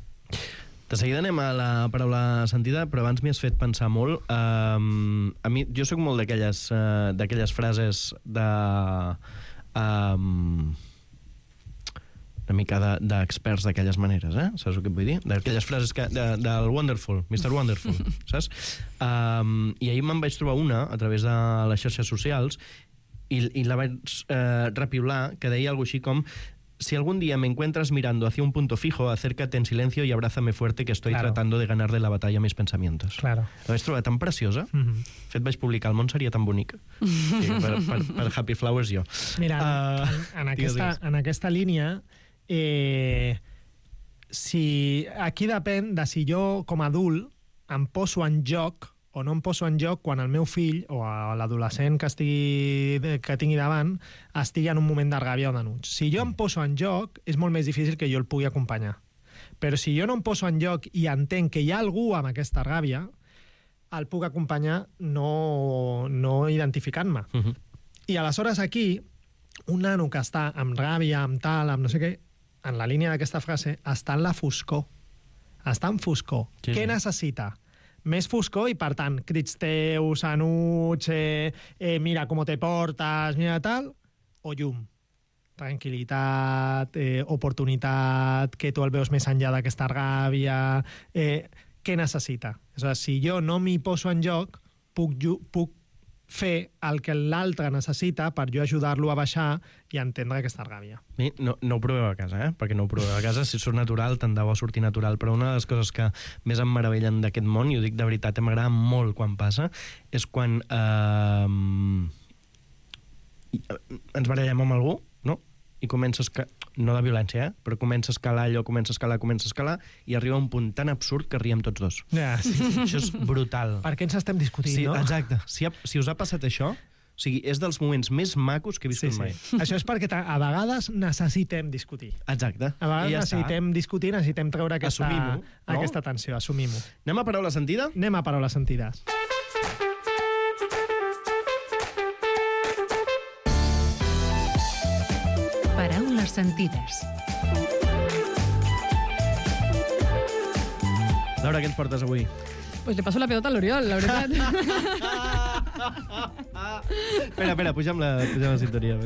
H: De seguida anem a la paraula sentida, però abans m'hi has fet pensar molt. Um, a mi, jo sóc molt d'aquelles uh, d'aquelles frases de... Um, una mica d'experts de, d'aquelles maneres, eh? Saps el que et vull dir? D'aquelles frases que, de, del Wonderful, mister Wonderful, saps? Um, I ahir me'n vaig trobar una a través de les xarxes socials i, i la vaig eh, repiular, que deia alguna així com: si algún día me encuentras mirando hacia un punto fijo, acércate en silencio y abrázame fuerte, que estoy claro. tratando de ganarle la batalla a mis pensamientos.
I: Claro.
H: La vaig trobar tan preciosa. Mm-hmm. De fet, vaig publicar El món seria tan bonic. Sí, per, per, per Happy Flowers jo.
I: Mira, uh, en, en, aquesta, en aquesta línia... Eh, si aquí depèn de si jo com a adult em poso en joc o no em poso en joc quan el meu fill o l'adolescent que, estigui, que tingui davant estigui en un moment de ràbia o d'enuig. Si jo em poso en joc, és molt més difícil que jo el pugui acompanyar. Però si jo no em poso en joc i entenc que hi ha algú amb aquesta ràbia, el puc acompanyar no, no identificant-me. Uh-huh. I aleshores aquí, un nano que està amb ràbia, amb tal, amb no sé què, en la línia d'aquesta frase, està en la foscor. Està en foscor. Sí. Què necessita? Més foscor i, per tant, crits teus, enuig, eh, eh, mira com te portes, mira tal, o llum. Tranquil·litat, eh, oportunitat, que tu el veus més enllà d'aquesta ràbia... Eh, què necessita? Aleshores, si jo no m'hi poso en joc, puc, puc fer el que l'altre necessita per jo ajudar-lo a baixar i entendre aquesta ràbia.
H: No, no ho proveu a casa, eh? Perquè no ho proveu a casa. Si surt natural, tant de bo sortir natural. Però una de les coses que més em meravellen d'aquest món, i ho dic de veritat, m'agrada molt quan passa, és quan eh, ens barallem amb algú, no? I comença a escalar, no de violència, eh? Però comença a escalar allò, comença a escalar, comença a escalar, i arriba a un punt tan absurd que riem tots dos.
I: Ja, sí, sí.
H: Això és brutal.
I: Per què ens estem discutint,
H: sí,
I: no?
H: Exacte. Si, ha, si us ha passat això, o sigui, és dels moments més macos que he viscut sí, sí. mai.
I: Això és perquè a vegades necessitem discutir.
H: Exacte.
I: A vegades ja necessitem està. discutir, necessitem treure aquesta,
H: no?
I: aquesta tensió, assumim-ho.
H: Anem a paraula sentida?
I: Anem a paraules sentides.
F: Paraules sentides.
H: Laura, què ens portes avui?
J: Pues le passo la pelota a l'Oriol, la veritat.
H: espera, espera, puja'm la, puja'm la sintonia.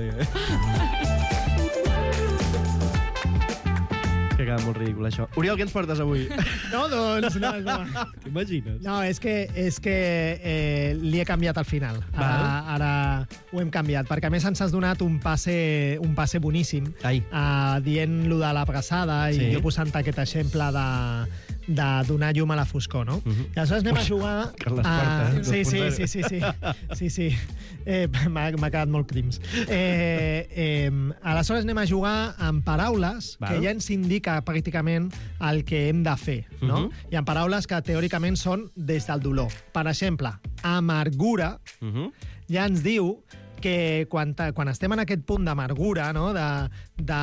H: Que queda molt ridícul, això. Oriol, què ens portes avui?
I: No, doncs, no, no.
H: T'imagines?
I: No, és que, és que eh, li he canviat al final. Ara, ara ho hem canviat, perquè a més ens has donat un passe, un passe boníssim, uh, dient-lo de l'abraçada, sí. I jo posant aquest exemple de, de donar llum a la foscor, no? Uh-huh. I aleshores anem a jugar...
H: Carles Porta,
I: uh, sí, sí, sí, sí, sí, sí, sí. Eh, m'ha quedat molt crims. Eh, eh, aleshores anem a jugar amb paraules Val. que ja ens indica pràcticament el que hem de fer, no? Uh-huh. Hi ha paraules que teòricament són des del dolor. Per exemple, amargura uh-huh. ja ens diu que quan, quan estem en aquest punt d'amargura, no? de, de,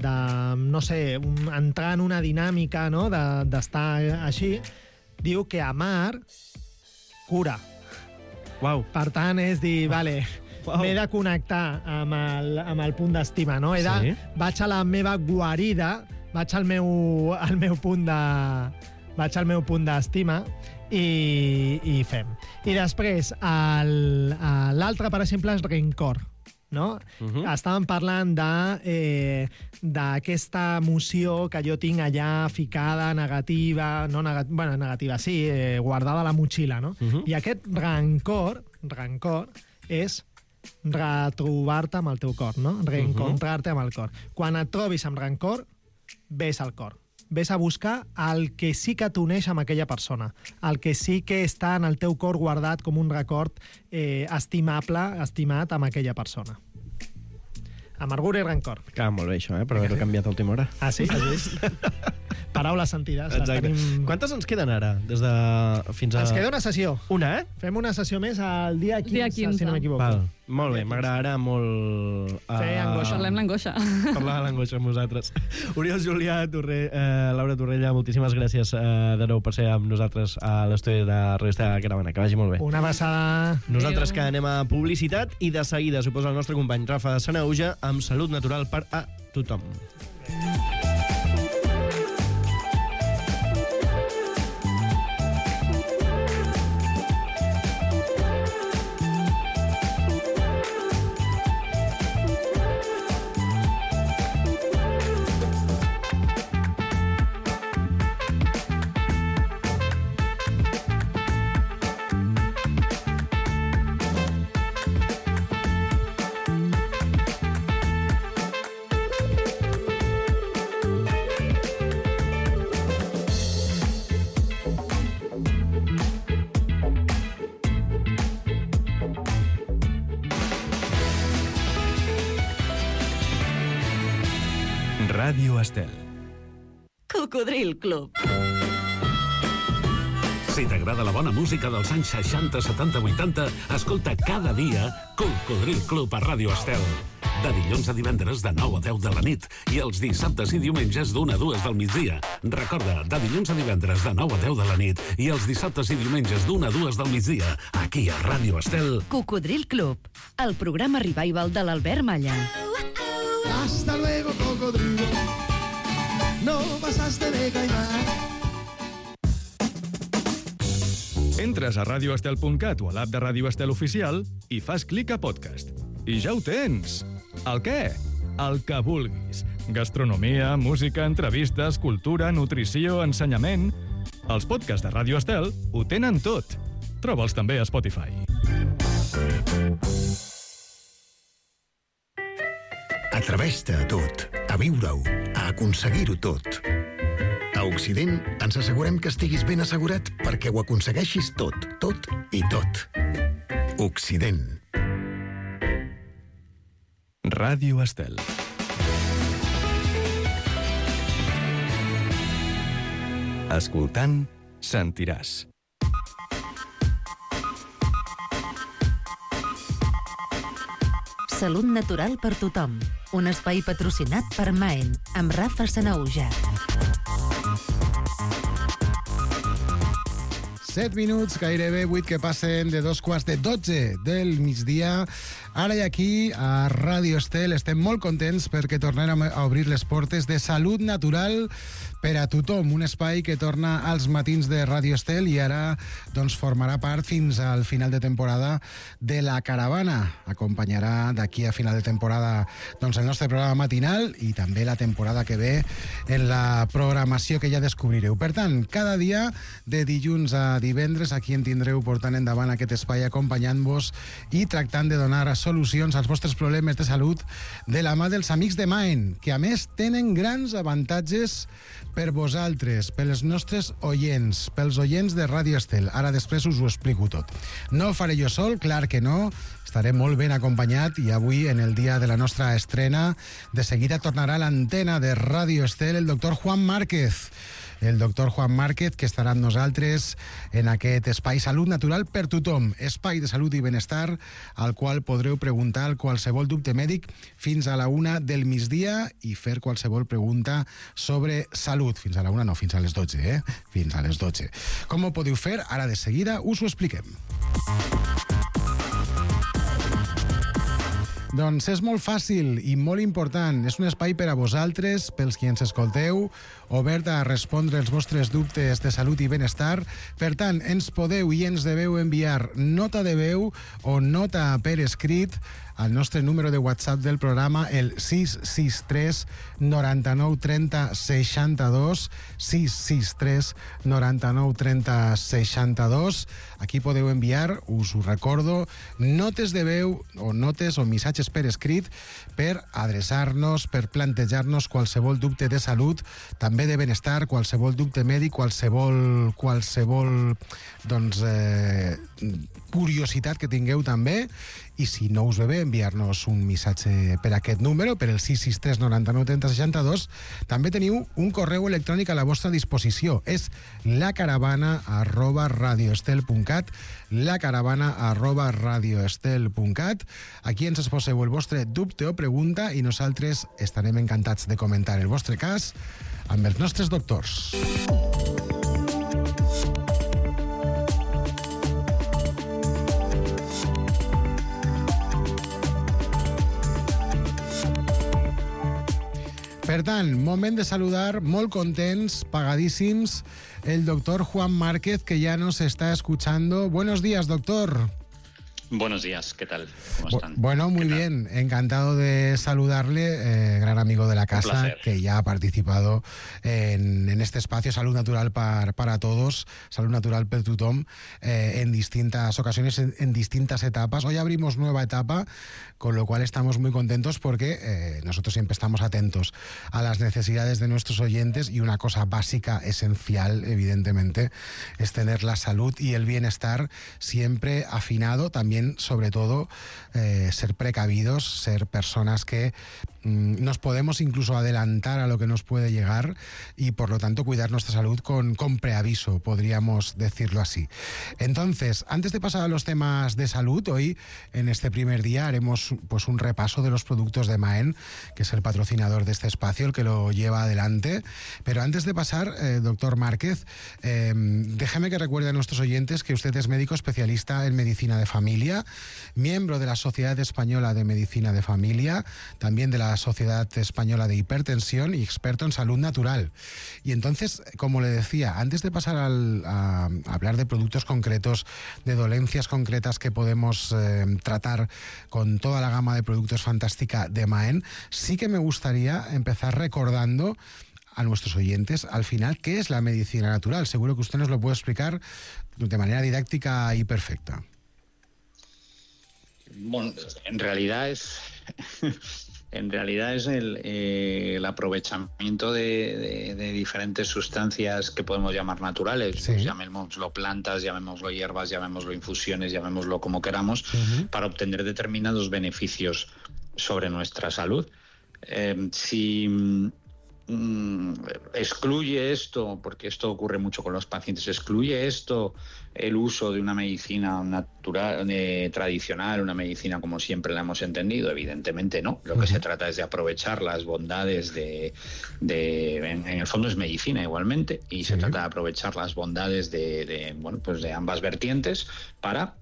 I: de, no sé, un, entrar en una dinàmica, no? d'estar de, així, diu que amar cura.
H: Wow.
I: Per tant, és dir, vale, wow. m'he de connectar amb el, amb el punt d'estima, no? He de, sí. Vaig a la meva guarida, vaig al meu, al meu punt de, vaig al meu punt d'estima i, i fem. I després, el- a l'altre, per exemple, és Rencor. No? Uh-huh. Estàvem parlant de, eh, d'aquesta emoció que jo tinc allà ficada, negativa, no nega, bueno, negativa, sí, eh, guardada a la motxilla, no? Uh-huh. I aquest rancor, rancor és retrobar-te amb el teu cor, no? Reencontrar-te amb el cor. Quan et trobis amb rancor, ves al cor. Ves a buscar el que sí que t'uneix amb aquella persona, el que sí que està en el teu cor guardat com un record eh, estimable, estimat amb aquella persona. Amargura i rancor.
H: Clar, molt bé això, eh? Per haver-ho canviat a última hora.
I: Ah, sí? Has vist? Paraules sentides. Les
H: Exacte.
I: tenim...
H: Quantes ens queden ara? Des de... fins a...
I: Ens queda una sessió.
H: Una, eh?
I: Fem una sessió més al dia quinze,
J: Dia quinze.
I: si no m'equivoco.
H: Val. Molt bé, m'agradarà molt... Uh,
I: Fer angoixa.
J: Parlem l'angoixa.
H: Parlar de l'angoixa amb nosaltres. Oriol Julià, Torre, eh, Laura Torrella, moltíssimes gràcies eh, de nou per ser amb nosaltres a l'estudi de Revista Caravana. Que vagi molt bé.
I: Una abraçada.
H: Nosaltres
J: Adéu.
H: que anem a publicitat i de seguida suposa el nostre company Rafa Sanauja amb Salut Natural per a tothom.
A: Ràdio Estel.
K: Cocodril Club.
G: Si t'agrada la bona música dels anys seixanta, setanta, vuitanta, escolta cada dia Cocodril Club a Ràdio Estel. De dilluns a divendres de nou a deu de la nit i els dissabtes i diumenges d'una a dues del migdia. Recorda, de dilluns a divendres de nou a deu de la nit i els dissabtes i diumenges d'una a dues del migdia, aquí a Ràdio Estel.
K: Cocodril Club, el programa revival de l'Albert Malla.
L: Hasta luego, cocodrilo. No pasaste de caimán.
A: Entres a radio estel punt cat o a l'app de Ràdio Estel Oficial i fas clic a podcast. I ja ho tens! El què? El que vulguis. Gastronomia, música, entrevistes, cultura, nutrició, ensenyament... Els podcasts de Ràdio Estel ho tenen tot. Troba'ls també a Spotify.
M: Atreveix-te a tot, a viure-ho, a aconseguir-ho tot. A Occident ens assegurem que estiguis ben assegurat perquè ho aconsegueixis tot, tot i tot. Occident.
A: Ràdio Estel. Escoltant, sentiràs.
F: Salut natural per tothom. Un espai patrocinat per Maen, amb Rafa Sanauja.
L: set minuts, gairebé vuit que passen de dos quarts de dotze del migdia. Ara i aquí, a Ràdio Estel, estem molt contents perquè tornem a obrir les portes de Salut Natural per a tothom, un espai que torna als matins de Ràdio Estel i ara doncs, formarà part fins al final de temporada de la Caravana. Acompanyarà d'aquí a final de temporada doncs, el nostre programa matinal i també la temporada que ve en la programació que ja descobrireu. Per tant, cada dia, de dilluns a divendres, aquí en tindreu portant endavant aquest espai acompanyant-vos i tractant de donar solucions als vostres problemes de salut de la mà dels amics de Maen, que a més tenen grans avantatges per vosaltres, pels nostres oients, pels oients de Ràdio Estel. Ara després us ho explico tot. No ho faré jo sol, clar que no, estaré molt ben acompanyat i avui, en el dia de la nostra estrena, de seguida tornarà a l'antena de Ràdio Estel el doctor Juan Márquez. El doctor Juan Márquez, que estarà amb nosaltres en aquest espai Salut Natural per tothom, espai de salut i benestar, al qual podreu preguntar qualsevol dubte mèdic fins a la una del migdia i fer qualsevol pregunta sobre salut. Fins a la una, no, fins a les dotze, eh? Fins a les dotze. Com ho podeu fer? Ara de seguida us ho expliquem. Doncs és molt fàcil i molt important. És un espai per a vosaltres, pels qui ens escolteu, obert a respondre els vostres dubtes de salut i benestar. Per tant, ens podeu i ens deveu enviar nota de veu o nota per escrit al nostre número de WhatsApp del programa, el sis sis tres noranta-nou trenta seixanta-dos, sis sis tres noranta-nou trenta seixanta-dos. Aquí podeu enviar, us ho recordo, notes de veu o notes o missatges per escrit per adreçar-nos, per plantejar-nos qualsevol dubte de salut, també de benestar, qualsevol dubte mèdic, qualsevol, qualsevol doncs, eh, curiositat que tingueu també. I si no us ve bé enviar-nos un missatge per aquest número, per el sis sis tres noranta-nou trenta seixanta-dos, també teniu un correu electrònic a la vostra disposició. És lacaravana arroba radioestel.cat, lacaravana arroba radioestel.cat. Aquí ens exposeu el vostre dubte o pregunta i nosaltres estarem encantats de comentar el vostre cas amb els nostres doctors. Per tant, moment de saludar, molt contents, pagadíssims, el doctor Juan Márquez, que ya nos está escuchando. Buenos días, doctor.
N: Buenos días, ¿qué tal? ¿Cómo están?
L: Bueno, muy bien, encantado de saludarle, eh, gran amigo de la casa, que ya ha participado en, en este espacio Salud Natural para, para todos, Salud Natural per tothom, eh, en distintas ocasiones, en, en distintas etapas. Hoy abrimos nueva etapa, con lo cual estamos muy contentos porque eh, nosotros siempre estamos atentos a las necesidades de nuestros oyentes y una cosa básica, esencial, evidentemente, es tener la salud y el bienestar siempre afinado, también sobre todo eh, ser precavidos, ser personas que mm, nos podemos incluso adelantar a lo que nos puede llegar y por lo tanto cuidar nuestra salud con, con preaviso, podríamos decirlo así. Entonces, antes de pasar a los temas de salud, hoy en este primer día haremos pues un repaso de los productos de Maen, que es el patrocinador de este espacio, el que lo lleva adelante. Pero antes de pasar, eh, doctor Márquez, eh, déjeme que recuerde a nuestros oyentes que usted es médico especialista en medicina de familia, miembro de la Sociedad Española de Medicina de Familia, también de la Sociedad Española de Hipertensión y experto en salud natural. Y entonces, como le decía, antes de pasar al, a, a hablar de productos concretos, de dolencias concretas que podemos eh, tratar con toda la gama de productos fantástica de Maen, sí que me gustaría empezar recordando a nuestros oyentes, al final, ¿qué es la medicina natural? Seguro que usted nos lo puede explicar de manera didáctica y perfecta.
N: Bueno, en realidad es en realidad es el, eh, el aprovechamiento de, de, de diferentes sustancias que podemos llamar naturales, sí. Pues llamémoslo plantas, llamémoslo hierbas, llamémoslo infusiones, llamémoslo como queramos, uh-huh. para obtener determinados beneficios sobre nuestra salud. Eh, si mm, excluye esto, porque esto ocurre mucho con los pacientes, excluye esto el uso de una medicina natural, eh, tradicional, una medicina como siempre la hemos entendido, evidentemente no. Lo que uh-huh. se trata es de aprovechar las bondades de... de en, en el fondo es medicina igualmente, y sí. se trata de aprovechar las bondades de, de, bueno, pues de ambas vertientes para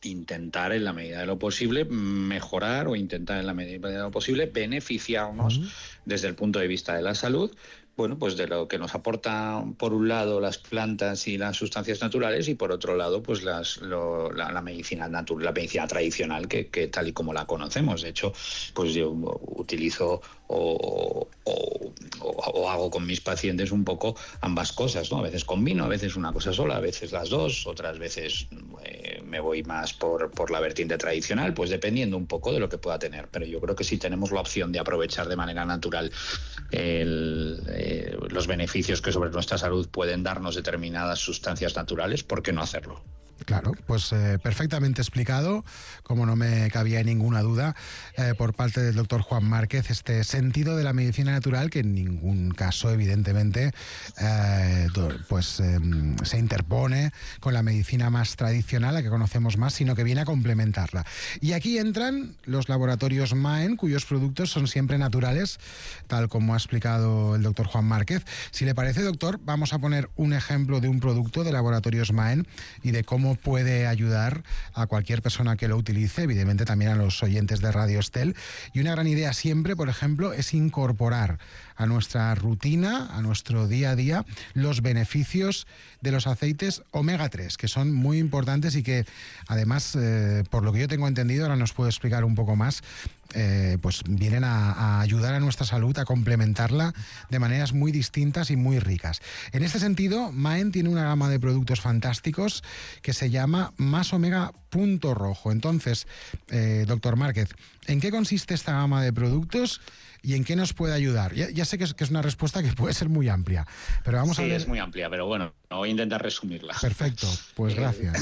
N: intentar en la medida de lo posible mejorar o intentar en la medida de lo posible beneficiarnos uh-huh. desde el punto de vista de la salud, bueno, pues de lo que nos aporta por un lado las plantas y las sustancias naturales y por otro lado pues las, lo, la, la medicina natural, la medicina tradicional que, que tal y como la conocemos. De hecho, pues yo utilizo o, o, o, o hago con mis pacientes un poco ambas cosas, ¿no? A veces combino, a veces una cosa sola, a veces las dos, otras veces eh, me voy más por, por la vertiente tradicional, pues dependiendo un poco de lo que pueda tener. Pero yo creo que si tenemos la opción de aprovechar de manera natural el, eh, los beneficios que sobre nuestra salud pueden darnos determinadas sustancias naturales, ¿por qué no hacerlo?
L: Claro, pues eh, perfectamente explicado, como no me cabía ninguna duda, eh, por parte del doctor Juan Márquez, este sentido de la medicina natural que en ningún caso, evidentemente, eh, pues eh, se interpone con la medicina más tradicional, la que conocemos más, sino que viene a complementarla. Y aquí entran los laboratorios Maen, cuyos productos son siempre naturales, tal como ha explicado el doctor Juan Márquez. Si le parece, doctor, vamos a poner un ejemplo de un producto de laboratorios Maen y de cómo cómo puede ayudar a cualquier persona que lo utilice, evidentemente también a los oyentes de Radio Estel. Y una gran idea siempre, por ejemplo, es incorporar a nuestra rutina, a nuestro día a día, los beneficios de los aceites omega tres, que son muy importantes y que además, eh, por lo que yo tengo entendido, ahora nos puede explicar un poco más, Eh, pues vienen a, a ayudar a nuestra salud, a complementarla de maneras muy distintas y muy ricas. En este sentido, Maen tiene una gama de productos fantásticos que se llama Más Omega Punto Rojo. Entonces, eh, doctor Márquez, ¿en qué consiste esta gama de productos y en qué nos puede ayudar? Ya, ya sé que es, que es una respuesta que puede ser muy amplia, pero vamos
N: sí,
L: a ver...
N: es muy amplia, pero bueno, voy a intentar resumirla.
L: Perfecto, pues gracias.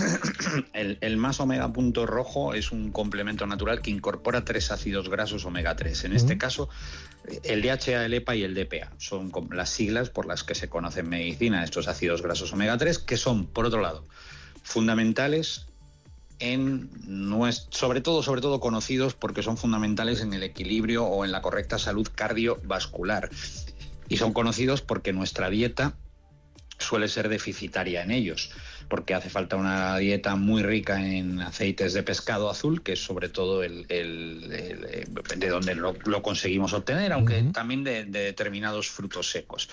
N: El, el Más Omega Punto Rojo es un complemento natural que incorpora tres ácidos grasos omega tres. En este uh-huh. caso, el D H A, el E P A y el D P A son las siglas por las que se conoce en medicina estos ácidos grasos omega tres, que son, por otro lado, fundamentales en nuestro, sobre todo, sobre todo conocidos porque son fundamentales en el equilibrio o en la correcta salud cardiovascular. Y son conocidos porque nuestra dieta suele ser deficitaria en ellos, porque hace falta una dieta muy rica en aceites de pescado azul, que es sobre todo el, el, el de donde lo, lo conseguimos obtener, aunque uh-huh. también de, de determinados frutos secos.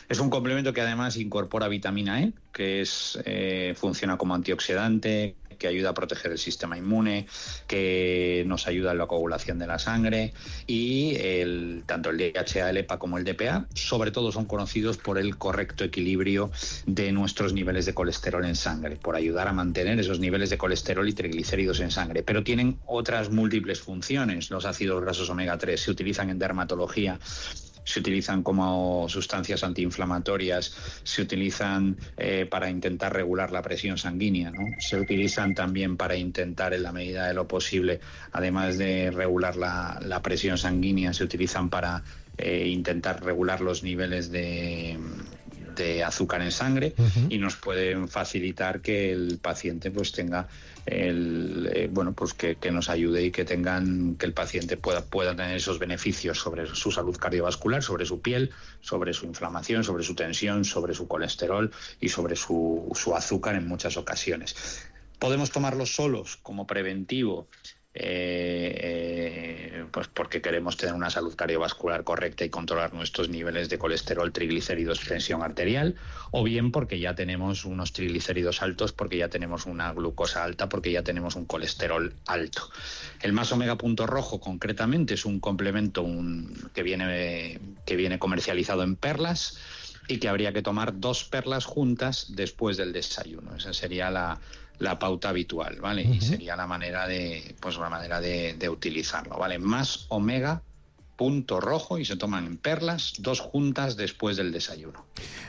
N: Es un complemento que además incorpora vitamina E, que es eh, funciona como antioxidante, que ayuda a proteger el sistema inmune, que nos ayuda en la coagulación de la sangre, y el, tanto el D H A, el E P A como el D P A, sobre todo son conocidos por el correcto equilibrio de nuestros niveles de colesterol en sangre, por ayudar a mantener esos niveles de colesterol y triglicéridos en sangre. Pero tienen otras múltiples funciones. Los ácidos grasos omega tres se utilizan en dermatología, se utilizan como sustancias antiinflamatorias, se utilizan eh, para intentar regular la presión sanguínea, ¿no? Se utilizan también para intentar, en la medida de lo posible, además de regular la, la presión sanguínea, se utilizan para eh, intentar regular los niveles de... de azúcar en sangre uh-huh. y nos pueden facilitar que el paciente pues tenga el eh, bueno pues que, que nos ayude y que tengan que el paciente pueda pueda tener esos beneficios sobre su salud cardiovascular, sobre su piel, sobre su inflamación, sobre su tensión, sobre su colesterol y sobre su, su azúcar en muchas ocasiones. Podemos tomarlos solos como preventivo, Eh, eh, pues porque queremos tener una salud cardiovascular correcta y controlar nuestros niveles de colesterol, triglicéridos, tensión arterial, o bien porque ya tenemos unos triglicéridos altos, porque ya tenemos una glucosa alta, porque ya tenemos un colesterol alto. El Más Omega Punto Rojo, concretamente, es un complemento un, que viene, que viene comercializado en perlas y que habría que tomar dos perlas juntas después del desayuno. Esa sería la la pauta habitual, ¿vale? Uh-huh. Y sería la manera de, pues la manera de, de utilizarlo, ¿vale? Más Omega Punto Rojo, y se toman en perlas, dos juntas después del desayuno.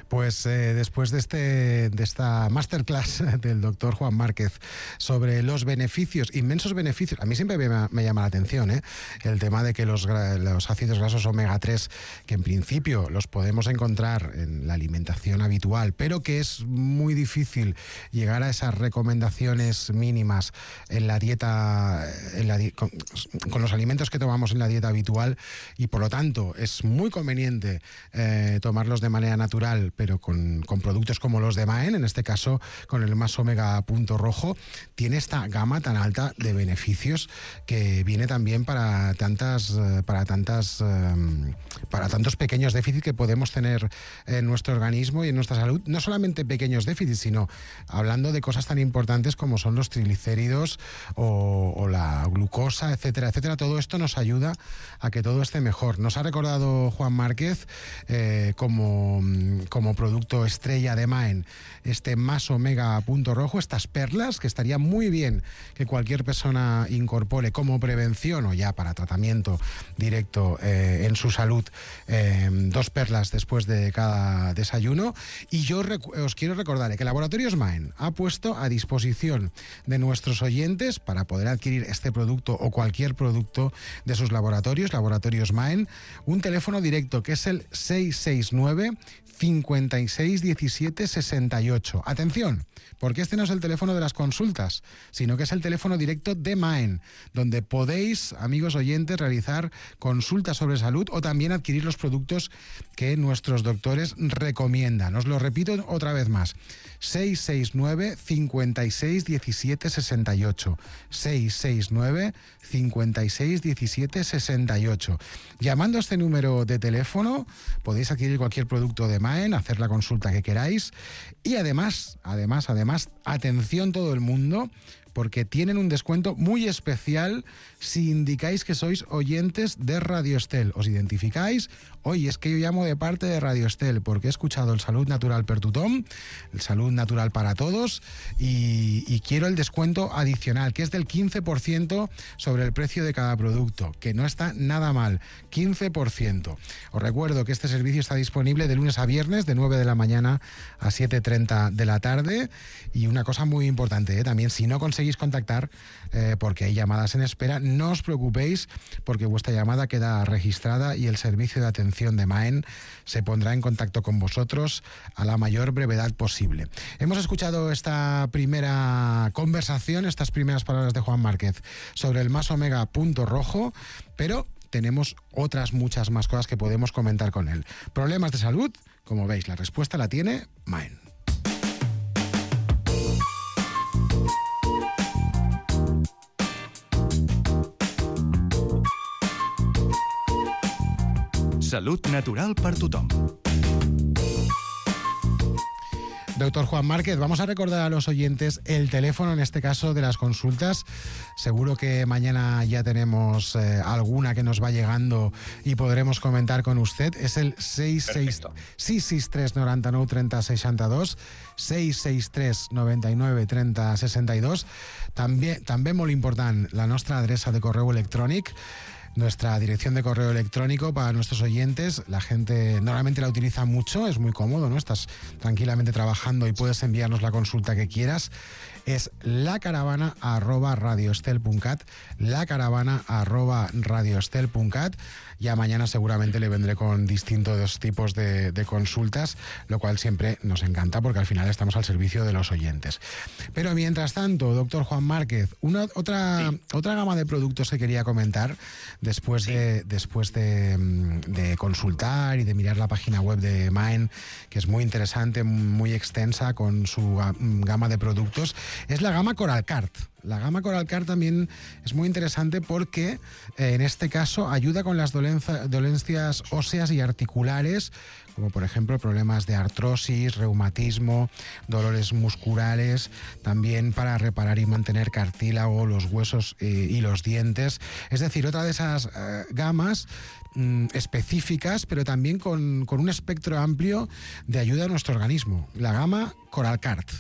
L: Pues eh, después de, este, de esta masterclass del doctor Juan Márquez sobre los beneficios, inmensos beneficios, a mí siempre me, me llama la atención, ¿eh? El tema de que los, los ácidos grasos omega tres, que en principio los podemos encontrar en la alimentación habitual, pero que es muy difícil llegar a esas recomendaciones mínimas en la dieta, en la, con, con los alimentos que tomamos en la dieta habitual, y por lo tanto es muy conveniente eh, tomarlos de manera natural, pero con, con productos como los de Maen, en este caso con el Más Omega Punto Rojo, tiene esta gama tan alta de beneficios que viene también para tantas para tantas um, para tantos pequeños déficits que podemos tener en nuestro organismo y en nuestra salud. No solamente pequeños déficits, sino hablando de cosas tan importantes como son los triglicéridos o, o la glucosa, etcétera, etcétera. Todo esto nos ayuda a que todo esté mejor. Nos ha recordado Juan Márquez eh, como, como producto estrella de Maen este Más Omega Punto Rojo, estas perlas, que estaría muy bien que cualquier persona incorpore como prevención o ya para tratamiento directo eh, en su salud, eh, dos perlas después de cada desayuno. Y yo os quiero recordar que Laboratorios Maen ha puesto a disposición de nuestros oyentes, para poder adquirir este producto o cualquier producto de sus laboratorios, laboratorios Laboratorios Maen, un teléfono directo que es el seis seis nueve, cincuenta y seis, diecisiete, sesenta y ocho. Atención, porque este no es el teléfono de las consultas, sino que es el teléfono directo de Maen, donde podéis, amigos oyentes, realizar consultas sobre salud o también adquirir los productos que nuestros doctores recomiendan. Os lo repito otra vez más. seis seis nueve, cincuenta y seis, diecisiete, sesenta y ocho. seis seis nueve, cincuenta y seis, diecisiete, sesenta y ocho. Llamando a este número de teléfono podéis adquirir cualquier producto de Maen, hacer la consulta que queráis y además, además, además, atención todo el mundo, porque tienen un descuento muy especial si indicáis que sois oyentes de Radio Estel. Os identificáis, oye, es que yo llamo de parte de Radio Estel porque he escuchado el Salud Natural per tothom, el Salud Natural para todos, y, y quiero el descuento adicional, que es del quince por ciento sobre el precio de cada producto, que no está nada mal, quince por ciento. Os recuerdo que este servicio está disponible de lunes a viernes, de nueve de la mañana a siete y treinta de la tarde, y una cosa muy importante, ¿eh? También, si no conseguís contactar, eh, porque hay llamadas en espera, no os preocupéis, porque vuestra llamada queda registrada y el servicio de atención de Maen se pondrá en contacto con vosotros a la mayor brevedad posible. Hemos escuchado esta primera conversación, estas primeras palabras de Juan Márquez sobre el más omega punto rojo, pero tenemos otras muchas más cosas que podemos comentar con él. Problemas de salud, como veis, la respuesta la tiene Maen.
A: Salud natural per tothom.
L: Doctor Juan Márquez, vamos a recordar a los oyentes el teléfono, en este caso, de las consultas. Seguro que mañana ya tenemos eh, alguna que nos va llegando y podremos comentar con usted. Es el seis seis tres, noventa y nueve, treinta, sesenta y dos, seis seis tres, noventa y nueve, treinta, sesenta y dos. També, també molt important, la nostra adreça de correu electrónic, nuestra dirección de correo electrónico para nuestros oyentes. La gente normalmente la utiliza mucho, es muy cómodo, ¿no? Estás tranquilamente trabajando y puedes enviarnos la consulta que quieras. Es lacaravana arroba radioestel.cat, lacaravana arroba radioestel.cat. Ya mañana seguramente le vendré con distintos tipos de, de consultas, lo cual siempre nos encanta porque al final estamos al servicio de los oyentes. Pero mientras tanto, doctor Juan Márquez, una, otra, sí. otra gama de productos que quería comentar después, sí. de, después de, de consultar y de mirar la página web de Maen, que es muy interesante, muy extensa con su gama de productos, es la gama Coralcart. La gama Coralcart también es muy interesante porque eh, en este caso ayuda con las dolenza, dolencias óseas y articulares, como por ejemplo problemas de artrosis, reumatismo, dolores musculares, también para reparar y mantener cartílago, los huesos eh, y los dientes. Es decir, otra de esas eh, gamas mm, específicas, pero también con, con un espectro amplio de ayuda a nuestro organismo. La gama Coralcart.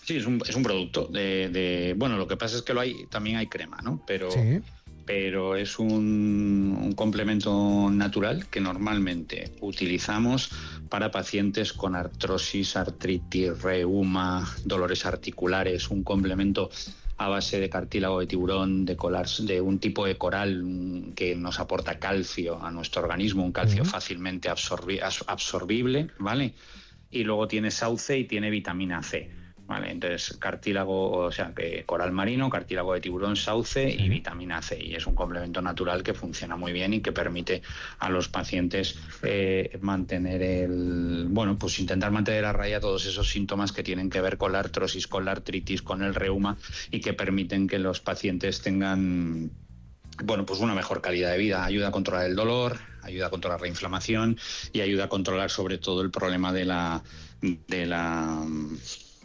N: Sí, es un, es un producto de, de... Bueno, lo que pasa es que lo hay, también hay crema, ¿no? Pero, sí. pero es un, un complemento natural que normalmente utilizamos para pacientes con artrosis, artritis, reuma, dolores articulares, un complemento a base de cartílago de tiburón, de, colar, de un tipo de coral que nos aporta calcio a nuestro organismo, un calcio uh-huh. fácilmente absorbi- absorbible, ¿vale? Y luego tiene sauce y tiene vitamina C. Vale, entonces cartílago, o sea, que coral marino, cartílago de tiburón, sauce y vitamina C. Y es un complemento natural que funciona muy bien y que permite a los pacientes eh, mantener el, bueno, pues intentar mantener a raya todos esos síntomas que tienen que ver con la artrosis, con la artritis, con el reuma y que permiten que los pacientes tengan, bueno, pues una mejor calidad de vida. Ayuda a controlar el dolor, ayuda a controlar la inflamación y ayuda a controlar sobre todo el problema de la, de la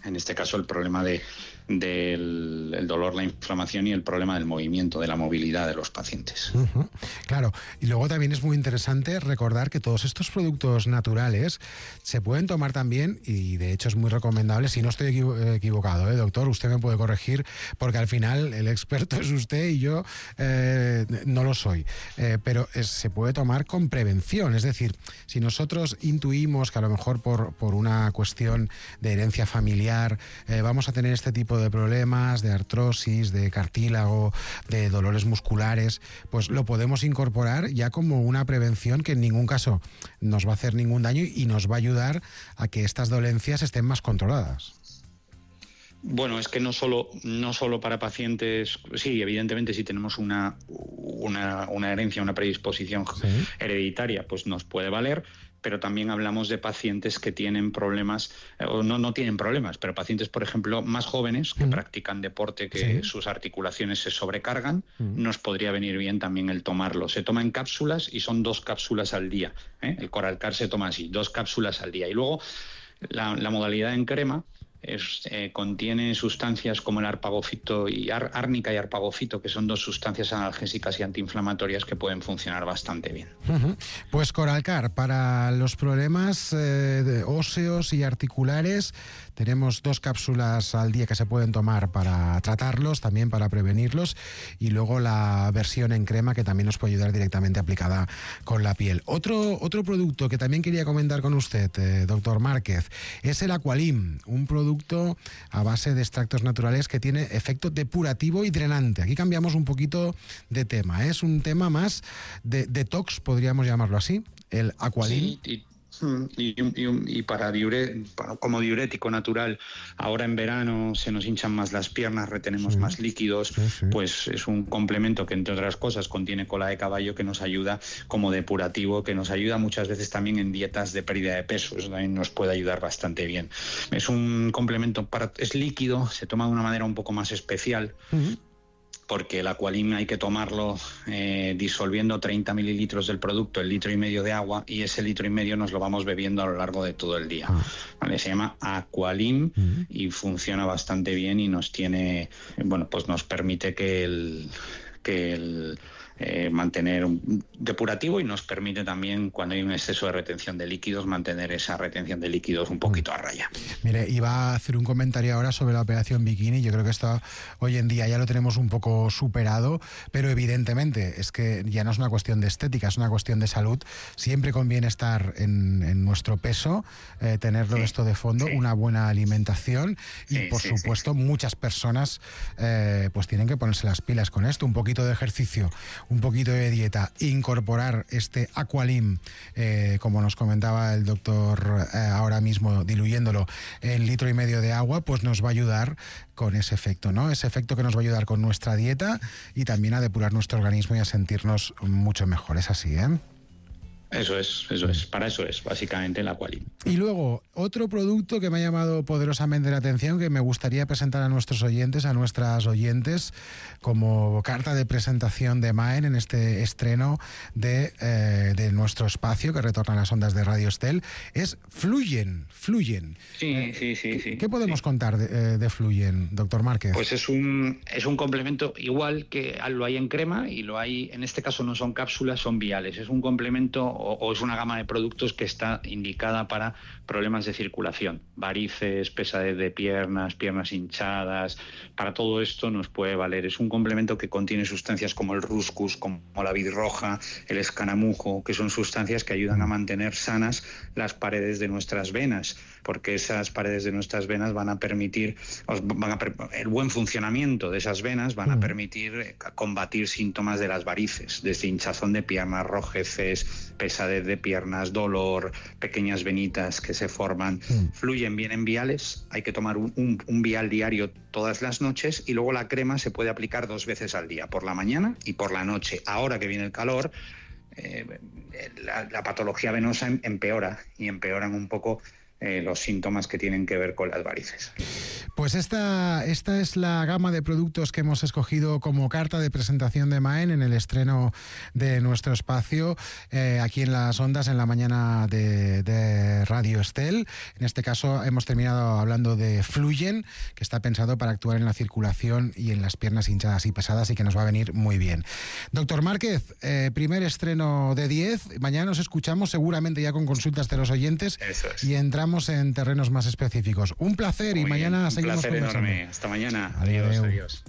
N: en este caso el problema de, del el dolor, la inflamación y el problema del movimiento, de la movilidad de los pacientes.
L: Uh-huh. Claro, y luego también es muy interesante recordar que todos estos productos naturales se pueden tomar también, y de hecho es muy recomendable, si no estoy equivo- equivocado, ¿eh, doctor? Usted me puede corregir, porque al final el experto es usted y yo eh, no lo soy, eh, pero es, se puede tomar con prevención, es decir, si nosotros intuimos que a lo mejor por, por una cuestión de herencia familiar eh, vamos a tener este tipo de de problemas, de artrosis, de cartílago, de dolores musculares, pues lo podemos incorporar ya como una prevención que en ningún caso nos va a hacer ningún daño y nos va a ayudar a que estas dolencias estén más controladas.
N: Bueno, es que no solo, no solo para pacientes, sí, evidentemente si tenemos una, una, una herencia, una predisposición sí. hereditaria, pues nos puede valer, pero también hablamos de pacientes que tienen problemas, o no, no tienen problemas, pero pacientes, por ejemplo, más jóvenes que mm. practican deporte, que sí. sus articulaciones se sobrecargan, mm. nos podría venir bien también el tomarlo. Se toma en cápsulas y son dos cápsulas al día, ¿eh? El Coralcar se toma así, dos cápsulas al día. Y luego la, la modalidad en crema Es, eh, contiene sustancias como el arpagofito y ar, árnica y arpagofito, que son dos sustancias analgésicas y antiinflamatorias que pueden funcionar bastante bien.
L: Uh-huh. Pues Coralcar, para los problemas eh, óseos y articulares, tenemos dos cápsulas al día que se pueden tomar para tratarlos, también para prevenirlos, y luego la versión en crema que también nos puede ayudar directamente aplicada con la piel. Otro, otro producto que también quería comentar con usted, eh, doctor Márquez, es el Aqualim, un producto a base de extractos naturales que tiene efecto depurativo y drenante. Aquí cambiamos un poquito de tema, ¿eh? Es un tema más de detox, podríamos llamarlo así, el Aqualim.
N: Sí, y... Y, y, y para diure, como diurético natural, ahora en verano se nos hinchan más las piernas, retenemos sí, más líquidos, sí, sí. pues es un complemento que, entre otras cosas, contiene cola de caballo, que nos ayuda como depurativo, que nos ayuda muchas veces también en dietas de pérdida de peso. Eso también nos puede ayudar bastante bien. Es un complemento, para, es líquido, se toma de una manera un poco más especial. Uh-huh. Porque el Aqualim hay que tomarlo eh, disolviendo treinta mililitros del producto, el litro y medio de agua, y ese litro y medio nos lo vamos bebiendo a lo largo de todo el día. ¿Vale? Se llama Aqualim uh-huh. y funciona bastante bien y nos tiene, bueno, pues nos permite que el, que el Eh, mantener un depurativo y nos permite también, cuando hay un exceso de retención de líquidos, mantener esa retención de líquidos un poquito a raya.
L: Mire, iba a hacer un comentario ahora sobre la operación bikini. Yo creo que esto hoy en día ya lo tenemos un poco superado, pero evidentemente es que ya no es una cuestión de estética, es una cuestión de salud. Siempre conviene estar en, en nuestro peso, eh, tenerlo sí, esto de fondo, sí. una buena alimentación y, sí, por sí, supuesto, sí, sí. muchas personas eh, pues tienen que ponerse las pilas con esto. Un poquito de ejercicio, un poquito de dieta, incorporar este Aqualim, eh, como nos comentaba el doctor eh, ahora mismo, diluyéndolo en litro y medio de agua, pues nos va a ayudar con ese efecto, ¿no? Ese efecto que nos va a ayudar con nuestra dieta y también a depurar nuestro organismo y a sentirnos mucho mejor. Es así, ¿eh?
N: Eso es, eso es. Para eso es, básicamente, el Aqualim.
L: Y luego, otro producto que me ha llamado poderosamente la atención, que me gustaría presentar a nuestros oyentes, a nuestras oyentes, como carta de presentación de Maen en este estreno de, eh, de nuestro espacio, que retorna a las ondas de Radio Estel, es Fluyen. Fluyen.
N: Sí, eh, sí, sí, sí.
L: ¿Qué podemos
N: sí.
L: contar de, de Fluyen, doctor Márquez?
N: Pues es un, es un complemento igual que lo hay en crema y lo hay, en este caso no son cápsulas, son viales. Es un complemento o, o es una gama de productos que está indicada para problemas de circulación, varices, pesadez de piernas, piernas hinchadas. Para todo esto nos puede valer. Es un complemento que contiene sustancias como el ruscus, como la vid roja, el escaramujo, que son sustancias que ayudan a mantener sanas las paredes de nuestras venas, porque esas paredes de nuestras venas van a permitir, van a, el buen funcionamiento de esas venas van a permitir combatir síntomas de las varices, desde hinchazón de piernas, rojeces, pesadez de piernas, dolor, pequeñas venitas que se forman. Mm. Fluyen bien en viales, hay que tomar un, un, un vial diario todas las noches y luego la crema se puede aplicar dos veces al día, por la mañana y por la noche. Ahora que viene el calor, eh, la, la patología venosa empeora y empeoran un poco Eh, los síntomas que tienen que ver con las varices.
L: Pues esta, esta es la gama de productos que hemos escogido como carta de presentación de Maen en el estreno de nuestro espacio eh, aquí en las ondas en la mañana de, de Radio Estel. En este caso hemos terminado hablando de Fluyen, que está pensado para actuar en la circulación y en las piernas hinchadas y pesadas y que nos va a venir muy bien. Doctor Márquez, eh, primer estreno de diez. Mañana nos escuchamos seguramente ya con consultas de los oyentes.
N: Eso es.
L: Y entramos en terrenos más específicos. Un placer y
N: Muy
L: mañana
N: bien,
L: seguimos
N: conversando. Un placer enorme. Hasta mañana. Adiós, adiós.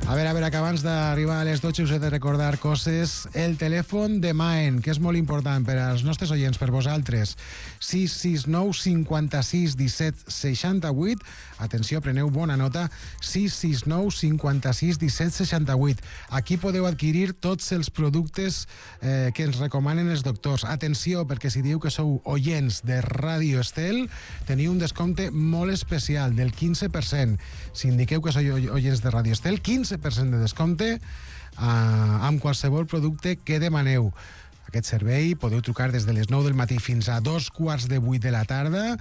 L: A veure, a veure, que abans d'arribar a les dotze us he de recordar coses. El telèfon de Maen, que és molt important per als nostres oients, per vosaltres. sis sis nou cinquanta-sis disset seixanta-vuit. Atenció, preneu bona nota. sis sis nou cinquanta-sis disset seixanta-vuit. Aquí podeu adquirir tots els productes eh, que ens recomanen els doctors. Atenció, perquè si diu que sou oients de Ràdio Estel, teniu un descompte molt especial del quinze per cent. Si indiqueu que sou oients de Ràdio Estel, quinze per cent de descompte eh, amb qualsevol producte que demaneu. Aquest servei podeu trucar des de les nou del matí fins a dos quarts de vuit de la tarda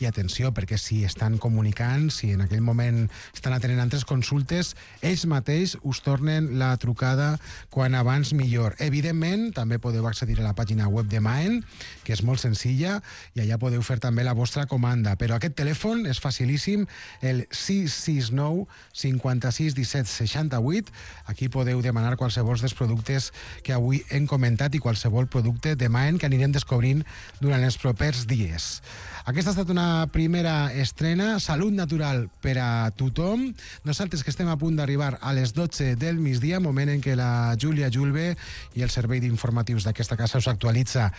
L: i atenció, perquè si estan comunicant, si en aquell moment estan atenent altres consultes, ells mateix us tornen la trucada quan abans millor. Evidentment, també podeu accedir a la pàgina web de Maen, que és molt senzilla, i allà podeu fer també la vostra comanda. Però aquest telèfon és facilíssim, el sis sis nou cinquanta-sis disset seixanta-vuit. Aquí podeu demanar qualsevol dels productes que avui hem comentat i qualsevol producte de Maen que anirem descobrint durant els propers dies. Aquesta ha estat una primera estrena, Salut Natural per a tothom. Nosaltres que estem a punt d'arribar a les dotze del migdia, moment en què la Júlia Julve i el servei d'informatius d'aquesta casa us actualitza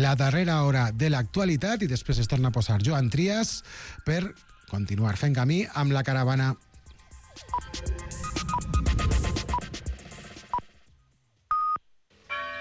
L: la darrera hora de l'actualitat i després es torna a posar Joan Trias per continuar fent camí amb la caravana.